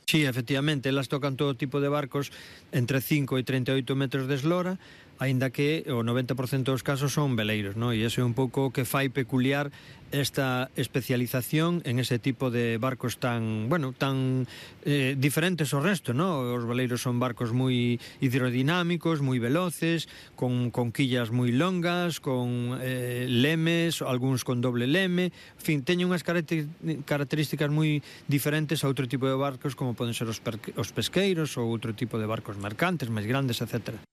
Sí, efectivamente, elas tocan todo tipo de barcos entre cinco e treinta e oito metros de eslora, aínda que o noventa por cento dos casos son veleiros, ¿no? E iso é un pouco o que fai peculiar esta especialización en ese tipo de barcos tan, bueno, tan eh, diferentes ao resto, ¿no? Os veleiros son barcos moi hidrodinámicos, moi veloces, con, con quillas moi longas, con eh, lemes, algúns con doble leme, en fin, teñen unhas características moi diferentes a outro tipo de barcos como poden ser os, os pesqueiros ou outro tipo de barcos mercantes, máis grandes, etcétera.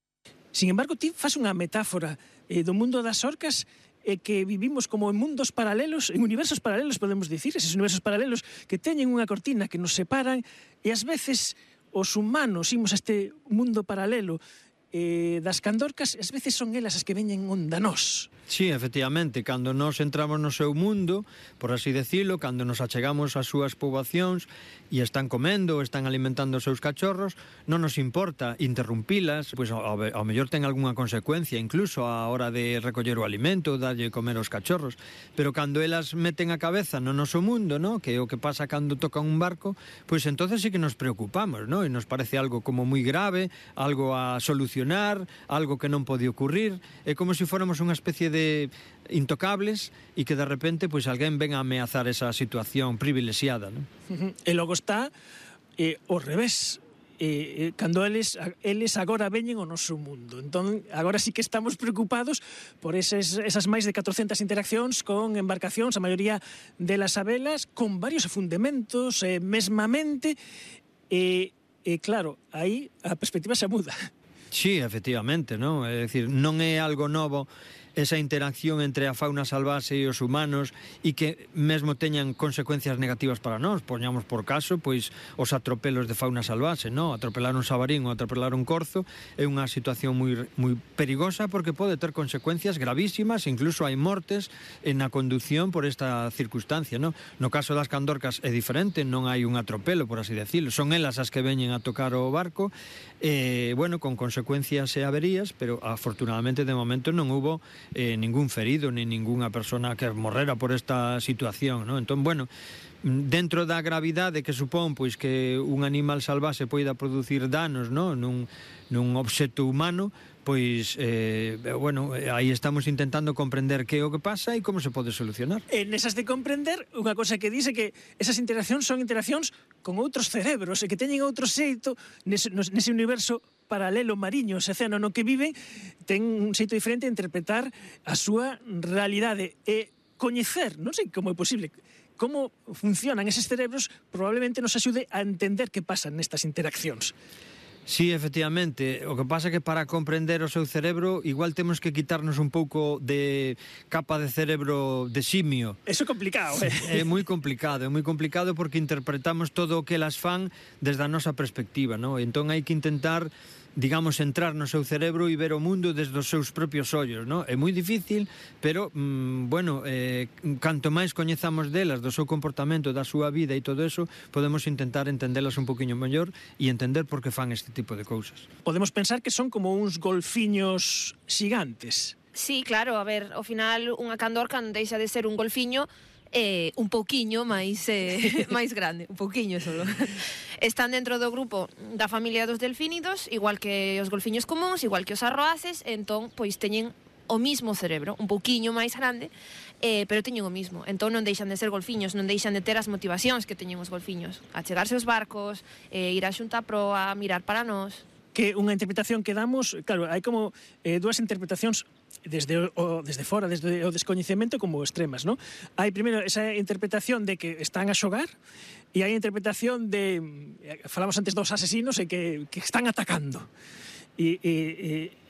Sin embargo, ti fas unha metáfora eh, do mundo das orcas e que vivimos como en mundos paralelos, en universos paralelos, podemos dicir, eses universos paralelos que teñen unha cortina que nos separan e ás veces os humanos imos a este mundo paralelo eh, das candorcas, ás veces son elas as que veñen onda nós. Sí, efectivamente, cando nós entramos no seu mundo, por así decirlo, cando nos achegamos ás súas poboacións e están comendo, están alimentando os seus cachorros, non nos importa interrumpilas, pois ao, ao mellor ten algunha consecuencia, incluso a hora de recoller o alimento, darlle comer aos cachorros, pero cando elas meten a cabeza no noso mundo, ¿no? Que é o que pasa cando toca un barco, pois entonces sí que nos preocupamos, ¿no? E nos parece algo como moi grave, algo a solucionar, algo que non pode ocurrir, é como se fóramos unha especie de intocables e que de repente pois alguén ven a ameazar esa situación privilexiada, ¿no? E logo está eh, o revés, eh, eh, cando eles, eles agora veñen ao noso mundo, entón agora sí que estamos preocupados por eses, esas máis de catrocentas interaccións con embarcacións, a maioría delas a velas, con varios afundementos, eh, mesmamente, e eh, eh, claro, aí a perspectiva se muda. Sí, efectivamente, ¿no? É dicir, non é algo novo esa interacción entre a fauna salvaxe e os humanos e que mesmo teñan consecuencias negativas para nós. Poñamos por caso, pois, os atropelos de fauna salvaxe, ¿no? Atropelar un sabarín ou atropelar un corzo é unha situación moi, moi perigosa porque pode ter consecuencias gravísimas, incluso hai mortes na conducción por esta circunstancia, ¿no? No caso das candorcas é diferente, non hai un atropelo, por así decirlo, son elas as que veñen a tocar o barco, e, bueno, con consecuencias e averías, pero afortunadamente de momento non hubo Eh, ningún ferido, ni ninguna persona que morrera por esta situación, ¿no? Entón, bueno, dentro da gravidade que supón pois que un animal salvaxe poida producir danos, ¿no? nun, nun obxecto humano, pois, eh, bueno, aí estamos intentando comprender que é o que pasa e como se pode solucionar. E nesas de comprender, unha cosa que dice que esas interaccións son interaccións con outros cerebros e que teñen outro xeito nese, nese universo paralelo mariño, ese océano no que viven, ten un xeito diferente de interpretar a súa realidade e coñecer, non sei como é posible, como funcionan eses cerebros, probablemente nos axude a entender que pasan nestas interaccións. Sí, efectivamente, o que pasa é que para comprender o seu cerebro igual temos que quitarnos un pouco de capa de cerebro de simio. Eso é complicado, eh? É moi complicado, é moi complicado porque interpretamos todo o que elas fan desde a nosa perspectiva, ¿no? Entón hai que intentar, digamos, entrar no seu cerebro e ver o mundo desde os seus propios ollos, ¿no? É moi difícil, pero, mmm, bueno, eh, canto máis coñezamos delas, do seu comportamento, da súa vida e todo eso, podemos intentar entendelas un poquinho mellor e entender por que fan este tipo de cousas. Podemos pensar que son como uns golfiños xigantes. Sí, claro, a ver, ao final unha candorca non deixa de ser un golfiño eh, un pouquiño máis eh, máis grande, un pouquiño solo. Están dentro do grupo da familia dos delfínidos, igual que os golfiños comuns, igual que os arroaces, entón, pois teñen o mismo cerebro, un pouquiño máis grande, eh, pero teñen o mismo. Entón non deixan de ser golfiños, non deixan de ter as motivacións que teñen os golfiños. A chegarse aos barcos, eh, ir a xunta a proa, mirar para nós. Que unha interpretación que damos, claro, hai como eh, dúas interpretacións desde o, desde fora, desde o descoñecemento como extremas, ¿no? Hai primeiro esa interpretación de que están a xogar e hai a interpretación de, falamos antes dos asesinos e que, que están atacando. E, e,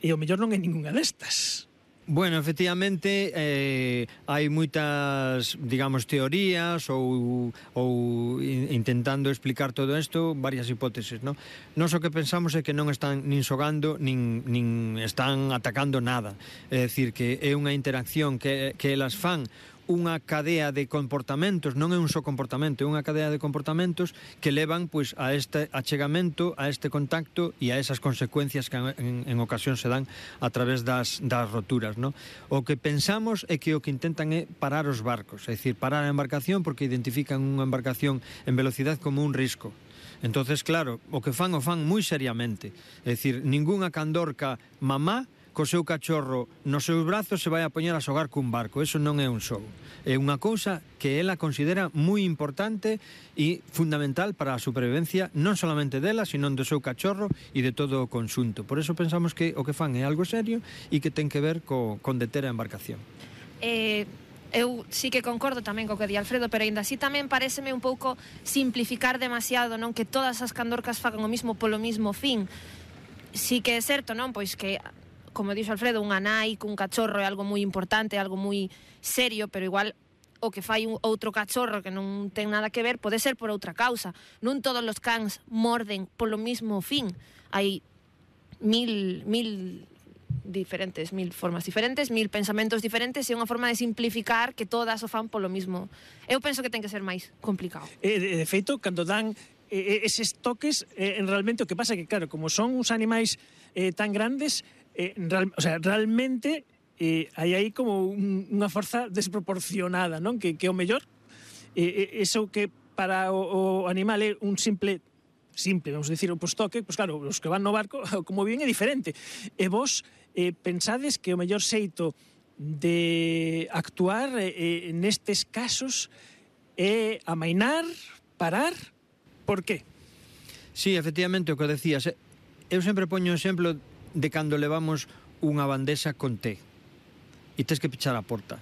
e, e o mellor non é ninguna destas. Bueno, efectivamente, eh, hai moitas, digamos, teorías ou, ou intentando explicar todo isto, varias hipótesis, non? Nos o que pensamos é que non están nin xogando, nin, nin están atacando nada. É dicir, que é unha interacción que, que elas fan unha cadea de comportamentos, non é un só comportamento, é unha cadea de comportamentos que levan pois a este achegamento, a este contacto e a esas consecuencias que en, en ocasión se dan a través das, das roturas, no? O que pensamos é que o que intentan é parar os barcos, é dicir, parar a embarcación porque identifican unha embarcación en velocidade como un risco. Entonces, claro, o que fan o fan moi seriamente, é dicir, ningunha candorca mamá co seu cachorro nos seus brazos se vai a poñer a xogar cun barco. Eso non é un xogo. É unha cousa que ela considera moi importante e fundamental para a supervivencia non solamente dela, sino do seu cachorro e de todo o conxunto. Por eso pensamos que o que fan é algo serio e que ten que ver co, con deter a embarcación. Eh... Eu sí que concordo tamén co que di Alfredo, pero ainda así tamén pareceme un pouco simplificar demasiado, non, que todas as candorcas fagan o mismo polo mismo fin. Sí que é certo, non, pois que, como dixo Alfredo, unha nai cun cachorro é algo moi importante, algo moi serio, pero igual o que fai un outro cachorro que non ten nada que ver pode ser por outra causa. Non todos os cans morden polo mismo fin. Hai mil, mil diferentes, mil formas diferentes, mil pensamentos diferentes e unha forma de simplificar que todas o fan polo mismo. Eu penso que ten que ser máis complicado. E, de feito, cando dan eh, eses toques, eh, realmente o que pasa é que, claro, como son uns animais eh, tan grandes, eh, real, o sea, realmente eh, hai aí como un, unha forza desproporcionada, non? Que, que o mellor, eh, eso que para o, o animal é un simple simple, vamos a decir, o postoque, pois claro, os que van no barco, como bien é diferente. E vos eh, pensades que o mellor xeito de actuar eh, nestes casos é amainar, parar, por qué? Sí, efectivamente, o que decías, eu sempre poño o exemplo de cando levamos unha bandexa con té e tes que pichar a porta.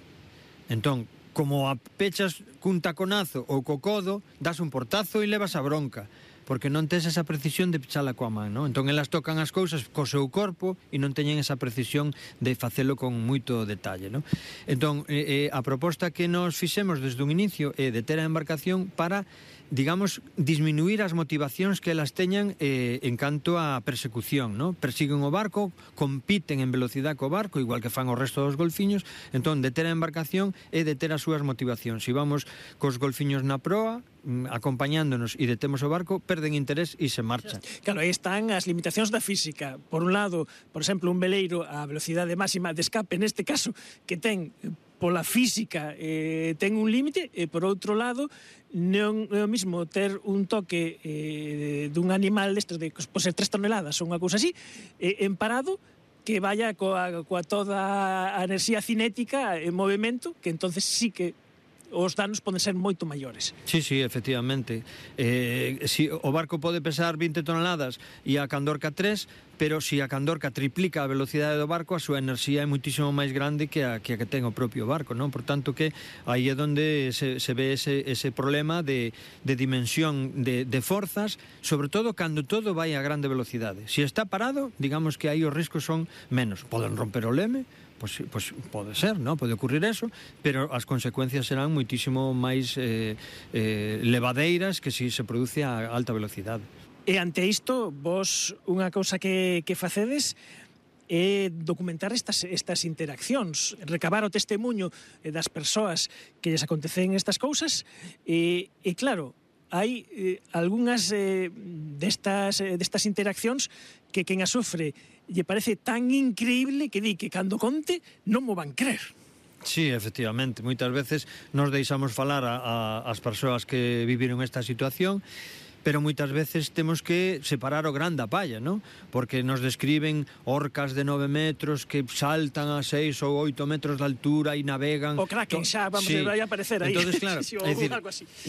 Entón, como a pechas cun taconazo ou co codo, das un portazo e levas a bronca, porque non tes esa precisión de pichala coa man, non? Entón elas tocan as cousas co seu corpo e non teñen esa precisión de facelo con moito detalle, non? Entón, eh, a proposta que nos fixemos desde un inicio é de ter a embarcación para, digamos, disminuir as motivacións que elas teñan eh, en canto á persecución, non? Persiguen o barco, compiten en velocidade co barco, igual que fan o resto dos golfiños, entón, de ter a embarcación é de ter as súas motivacións. Se vamos cos golfiños na proa, acompañándonos e detemos o barco, perden interés e se marchan. Claro, aí están as limitacións da física. Por un lado, por exemplo, un veleiro a velocidade máxima de escape, neste caso, que ten pola física eh, ten un límite, e por outro lado non é o mismo ter un toque eh, dun animal destes de, por ser tres toneladas ou unha cousa así, eh, en parado, que vaya coa, coa toda a enerxía cinética en movimento, que entonces sí que os danos poden ser moito maiores. Sí, sí, efectivamente. Eh, si o barco pode pesar vinte toneladas e a candorca tres, pero se si a candorca triplica a velocidade do barco, a súa enerxía é muitísimo máis grande que a que, a que ten o propio barco, non? Por tanto que aí é onde se, se ve ese, ese problema de, de dimensión de, de forzas, sobre todo cando todo vai a grande velocidade. Se si está parado, digamos que aí os riscos son menos. Poden romper o leme, Pois, pois pode ser, non? Pode ocurrir eso, pero as consecuencias serán moitísimo máis eh, eh, levadeiras que se si se produce a alta velocidade. E ante isto, vos unha cousa que, que facedes é documentar estas, estas interaccións, recabar o testemunho das persoas que lles acontecen estas cousas, e, e claro, hai eh, algunhas eh, destas, eh, destas interaccións que quen a sofre lle parece tan increíble que di que cando conte non mo van crer. Sí, efectivamente, moitas veces nos deixamos falar a, a, as persoas que viviron esta situación, pero moitas veces temos que separar o gran da palla, non? Porque nos describen orcas de nove metros que saltan a seis ou oito metros de altura e navegan. O Kraken xa, vamos, sí. Vai a aparecer aí. Entonces, claro, sí, é dicir,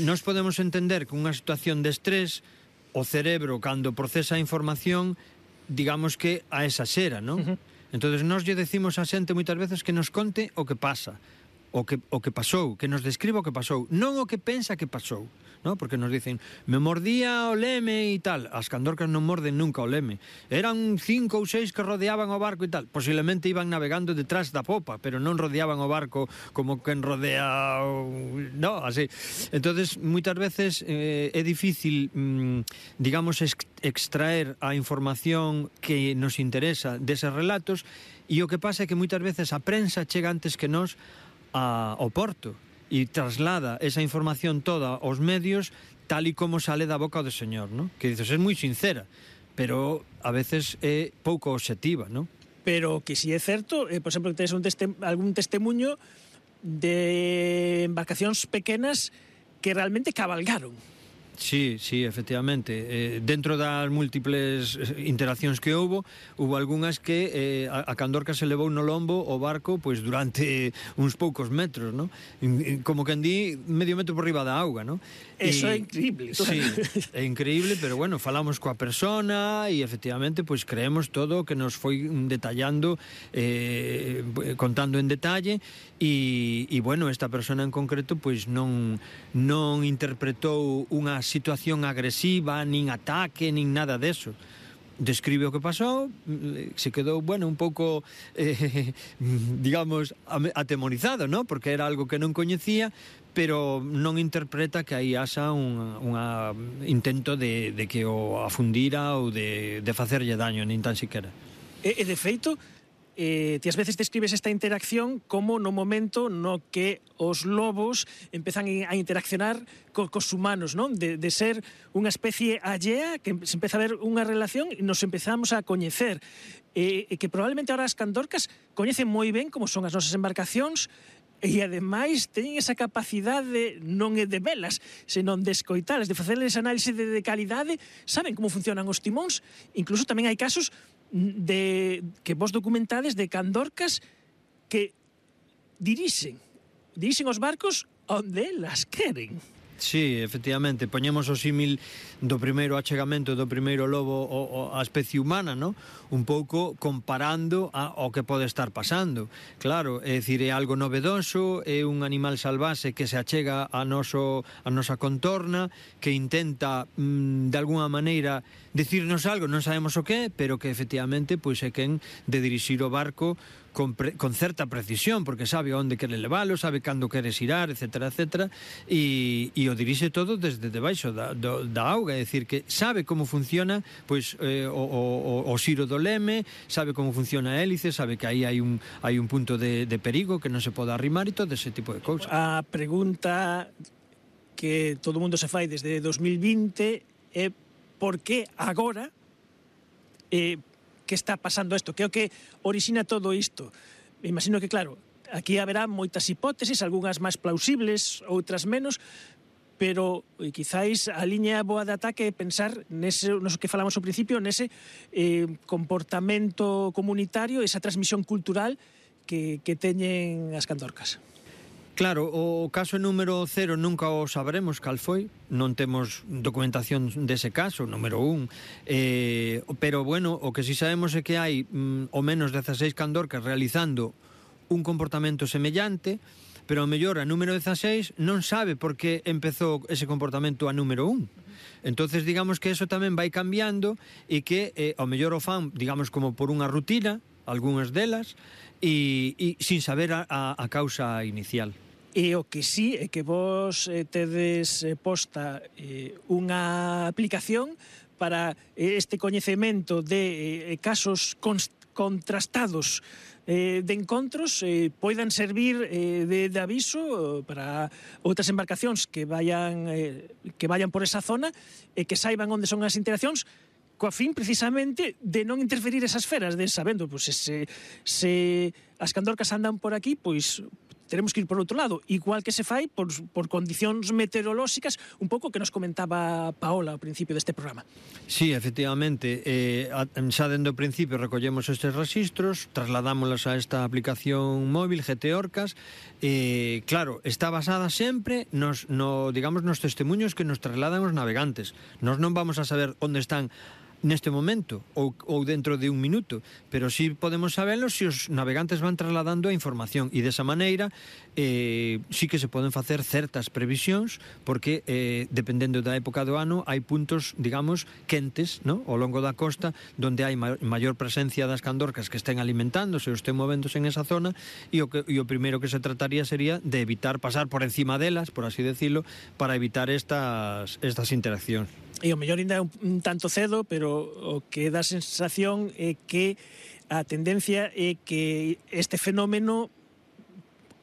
nos podemos entender que unha situación de estrés, o cerebro, cando procesa a información, digamos que a exaxera, non? Uh-huh. Entonces, nos lle decimos a xente moitas veces que nos conte o que pasa. o que, o que pasou, que nos describa o que pasou, non o que pensa que pasou, ¿no? Porque nos dicen, me mordía o leme e tal. As candorcas non morden nunca o leme. Eran cinco ou seis que rodeaban o barco e tal. Posiblemente iban navegando detrás da popa, pero non rodeaban o barco como quen rodea o... no, así. Entonces, moitas veces eh, é difícil, mm, digamos, extraer a información que nos interesa deses relatos, e o que pasa é que moitas veces a prensa chega antes que nós a, ao porto e traslada esa información toda aos medios tal e como sale da boca do señor, ¿no? Que dices, é moi sincera, pero a veces é pouco obxectiva, ¿no? Pero que si é certo, eh, por exemplo, que tens un testem algún testemunho de embarcacións pequenas que realmente cabalgaron. Sí, sí, efectivamente. Eh, dentro das múltiples interaccións que houbo, houbo algunhas que eh, a, a candorca se levou no lombo o barco pois durante uns poucos metros, ¿no? Como que andí medio metro por riba da auga, ¿no? Eso é increíble. Sí, é increíble, pero bueno, falamos coa persona e efectivamente pois creemos todo o que nos foi detallando, eh, contando en detalle e, e bueno, esta persona en concreto pois non, non interpretou unha situación agresiva, nin ataque, nin nada deso. Describe o que pasou, se quedou, bueno, un pouco, eh, digamos, atemorizado, ¿no? Porque era algo que non coñecía, pero non interpreta que aí haxa un unha intento de, de que o afundira ou de, de facerlle daño, nin tan siquiera. E, e de feito, Eh, ti ás veces describes esta interacción como no momento no que os lobos empezan a interaccionar co, cos humanos, non? De, de ser unha especie allea, que se empeza a ver unha relación e nos empezamos a coñecer. E, e que probablemente ahora as candorcas coñecen moi ben como son as nosas embarcacións e ademais teñen esa capacidade non é de velas, senón de escoitalas, de facerles análise de, de calidade, saben como funcionan os timóns, incluso tamén hai casos de que vos documentades de candorcas que dirixen, dirixen os barcos onde elas queren. Sí, efectivamente, poñemos o símil do primeiro achegamento do primeiro lobo á especie humana, ¿no? Un pouco comparando a, ao que pode estar pasando. Claro, é dicir, é algo novedoso, é un animal salvaxe que se achega a, noso, a nosa contorna, que intenta, mmm, de alguna maneira, decirnos algo, non sabemos o que, pero que efectivamente pois é quen de dirixir o barco con, pre, con certa precisión, porque sabe onde quere levalo, sabe cando quere xirar, etcétera, etcétera, e, e o dirixe todo desde debaixo da, do, da auga, é dicir, que sabe como funciona pois eh, o, o, o xiro do leme, sabe como funciona a hélice, sabe que aí hai un, hai un punto de, de perigo que non se pode arrimar e todo ese tipo de cousas. A pregunta que todo mundo se fai desde dos mil vinte é por que agora eh, que está pasando isto, que é o que orixina todo isto. Me imagino que, claro, aquí haberá moitas hipótesis, algunhas máis plausibles, outras menos, pero eh, quizáis a liña boa de ataque é pensar nese, no que falamos ao principio, nese eh, comportamento comunitario, esa transmisión cultural que, que teñen as candorcas. Claro, o caso número cero nunca o sabremos cal foi, non temos documentación dese caso, número un, eh, pero bueno, o que si sabemos é que hai mm, o menos dezaseis candorcas realizando un comportamento semellante, pero ao mellor a número dezaseis non sabe por que empezou ese comportamento a número un. Entonces digamos que eso tamén vai cambiando e que eh, ao mellor o fan, digamos, como por unha rutina, algunhas delas, e, e sin saber a, a, a causa inicial. E o que sí é que vos eh, tedes eh, posta eh, unha aplicación para eh, este coñecemento de eh, casos contrastados eh, de encontros eh, poidan servir eh, de, de aviso para outras embarcacións que vayan eh, que vayan por esa zona e que saiban onde son as interaccións, coa fin precisamente de non interferir esas feras, de sabendo, pois, se, se as candorcas andan por aquí, pois teremos que ir por outro lado, igual que se fai por, por condicións meteorolóxicas, un pouco que nos comentaba Paola ao principio deste programa. Sí, efectivamente, eh, xa dende o principio recollemos estes registros, trasladámolas a esta aplicación móvil G T Orcas, e eh, claro, está basada sempre nos, no, digamos, nos testemunhos que nos trasladan os navegantes. Nos non vamos a saber onde están neste momento ou, ou dentro de un minuto, pero sí podemos saberlo se os navegantes van trasladando a información e desa maneira eh, sí que se poden facer certas previsións porque eh, dependendo da época do ano hai puntos, digamos, quentes, no? Ao longo da costa donde hai ma maior presencia das candorcas que estén alimentándose ou estén movéndose en esa zona e o, que, e o primeiro que se trataría sería de evitar pasar por encima delas, por así decirlo, para evitar estas, estas interaccións. E o mellor ainda é un, un tanto cedo, pero o que dá sensación é que a tendencia é que este fenómeno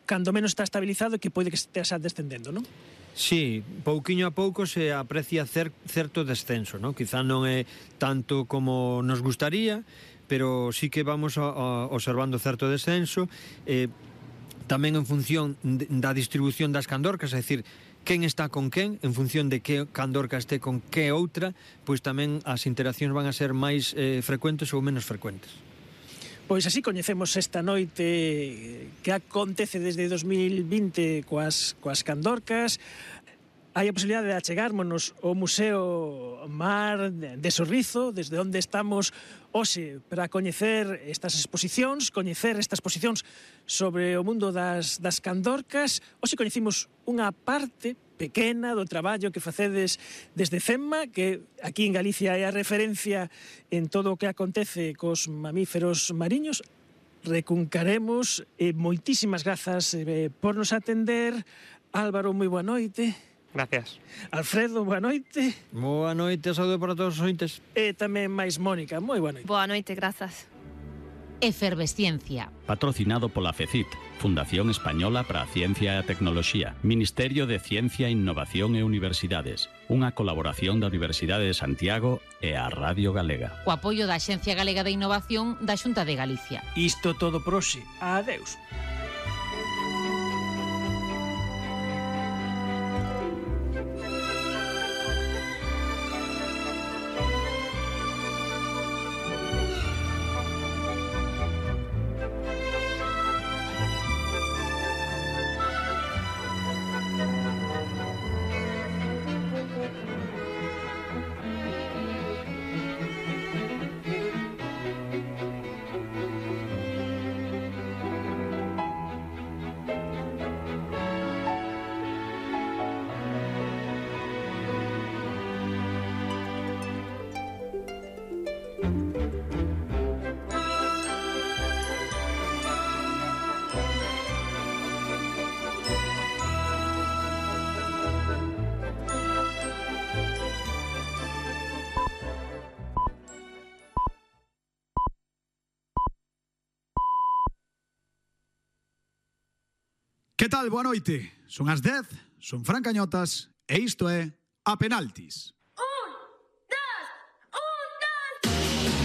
cando menos está estabilizado e que pode que estea descendendo, non? Sí, pouquiño a pouco se aprecia cer certo descenso, non? Quizá non é tanto como nos gustaría, pero sí que vamos a, a observando certo descenso, eh, tamén en función da distribución das candorcas, é dicir, quen está con quen, en función de que candorca este con que outra, pois tamén as interaccións van a ser máis eh, frecuentes ou menos frecuentes. Pois así coñecemos esta noite que acontece desde dos mil vinte coas, coas candorcas. Hai a posibilidade de achegármonos ao Museo Mar de Sorrizo, desde onde estamos hoxe para coñecer estas exposicións, coñecer estas exposicións sobre o mundo das, das candorcas. Hoxe coñecimos unha parte pequena do traballo que facedes desde CEMMA, que aquí en Galicia é a referencia en todo o que acontece cos mamíferos mariños. Recuncaremos, e moitísimas grazas eh, por nos atender. Álvaro, moi boa noite. Gracias. Alfredo, boa noite. Boa noite, saúde para todos os ointes. E tamén máis Mónica, moi boa noite. Boa noite, grazas. Efervesciencia. Patrocinado pola FECIT, Fundación Española para a Ciencia e a Tecnoloxía, Ministerio de Ciencia, Innovación e Universidades, unha colaboración da Universidade de Santiago e a Radio Galega. O apoio da Axencia Galega de Innovación da Xunta de Galicia. Isto todo por hoxe. Adeus. Que tal? Boa noite. Son as dez, son Fran Cañotas e isto é A Penaltis.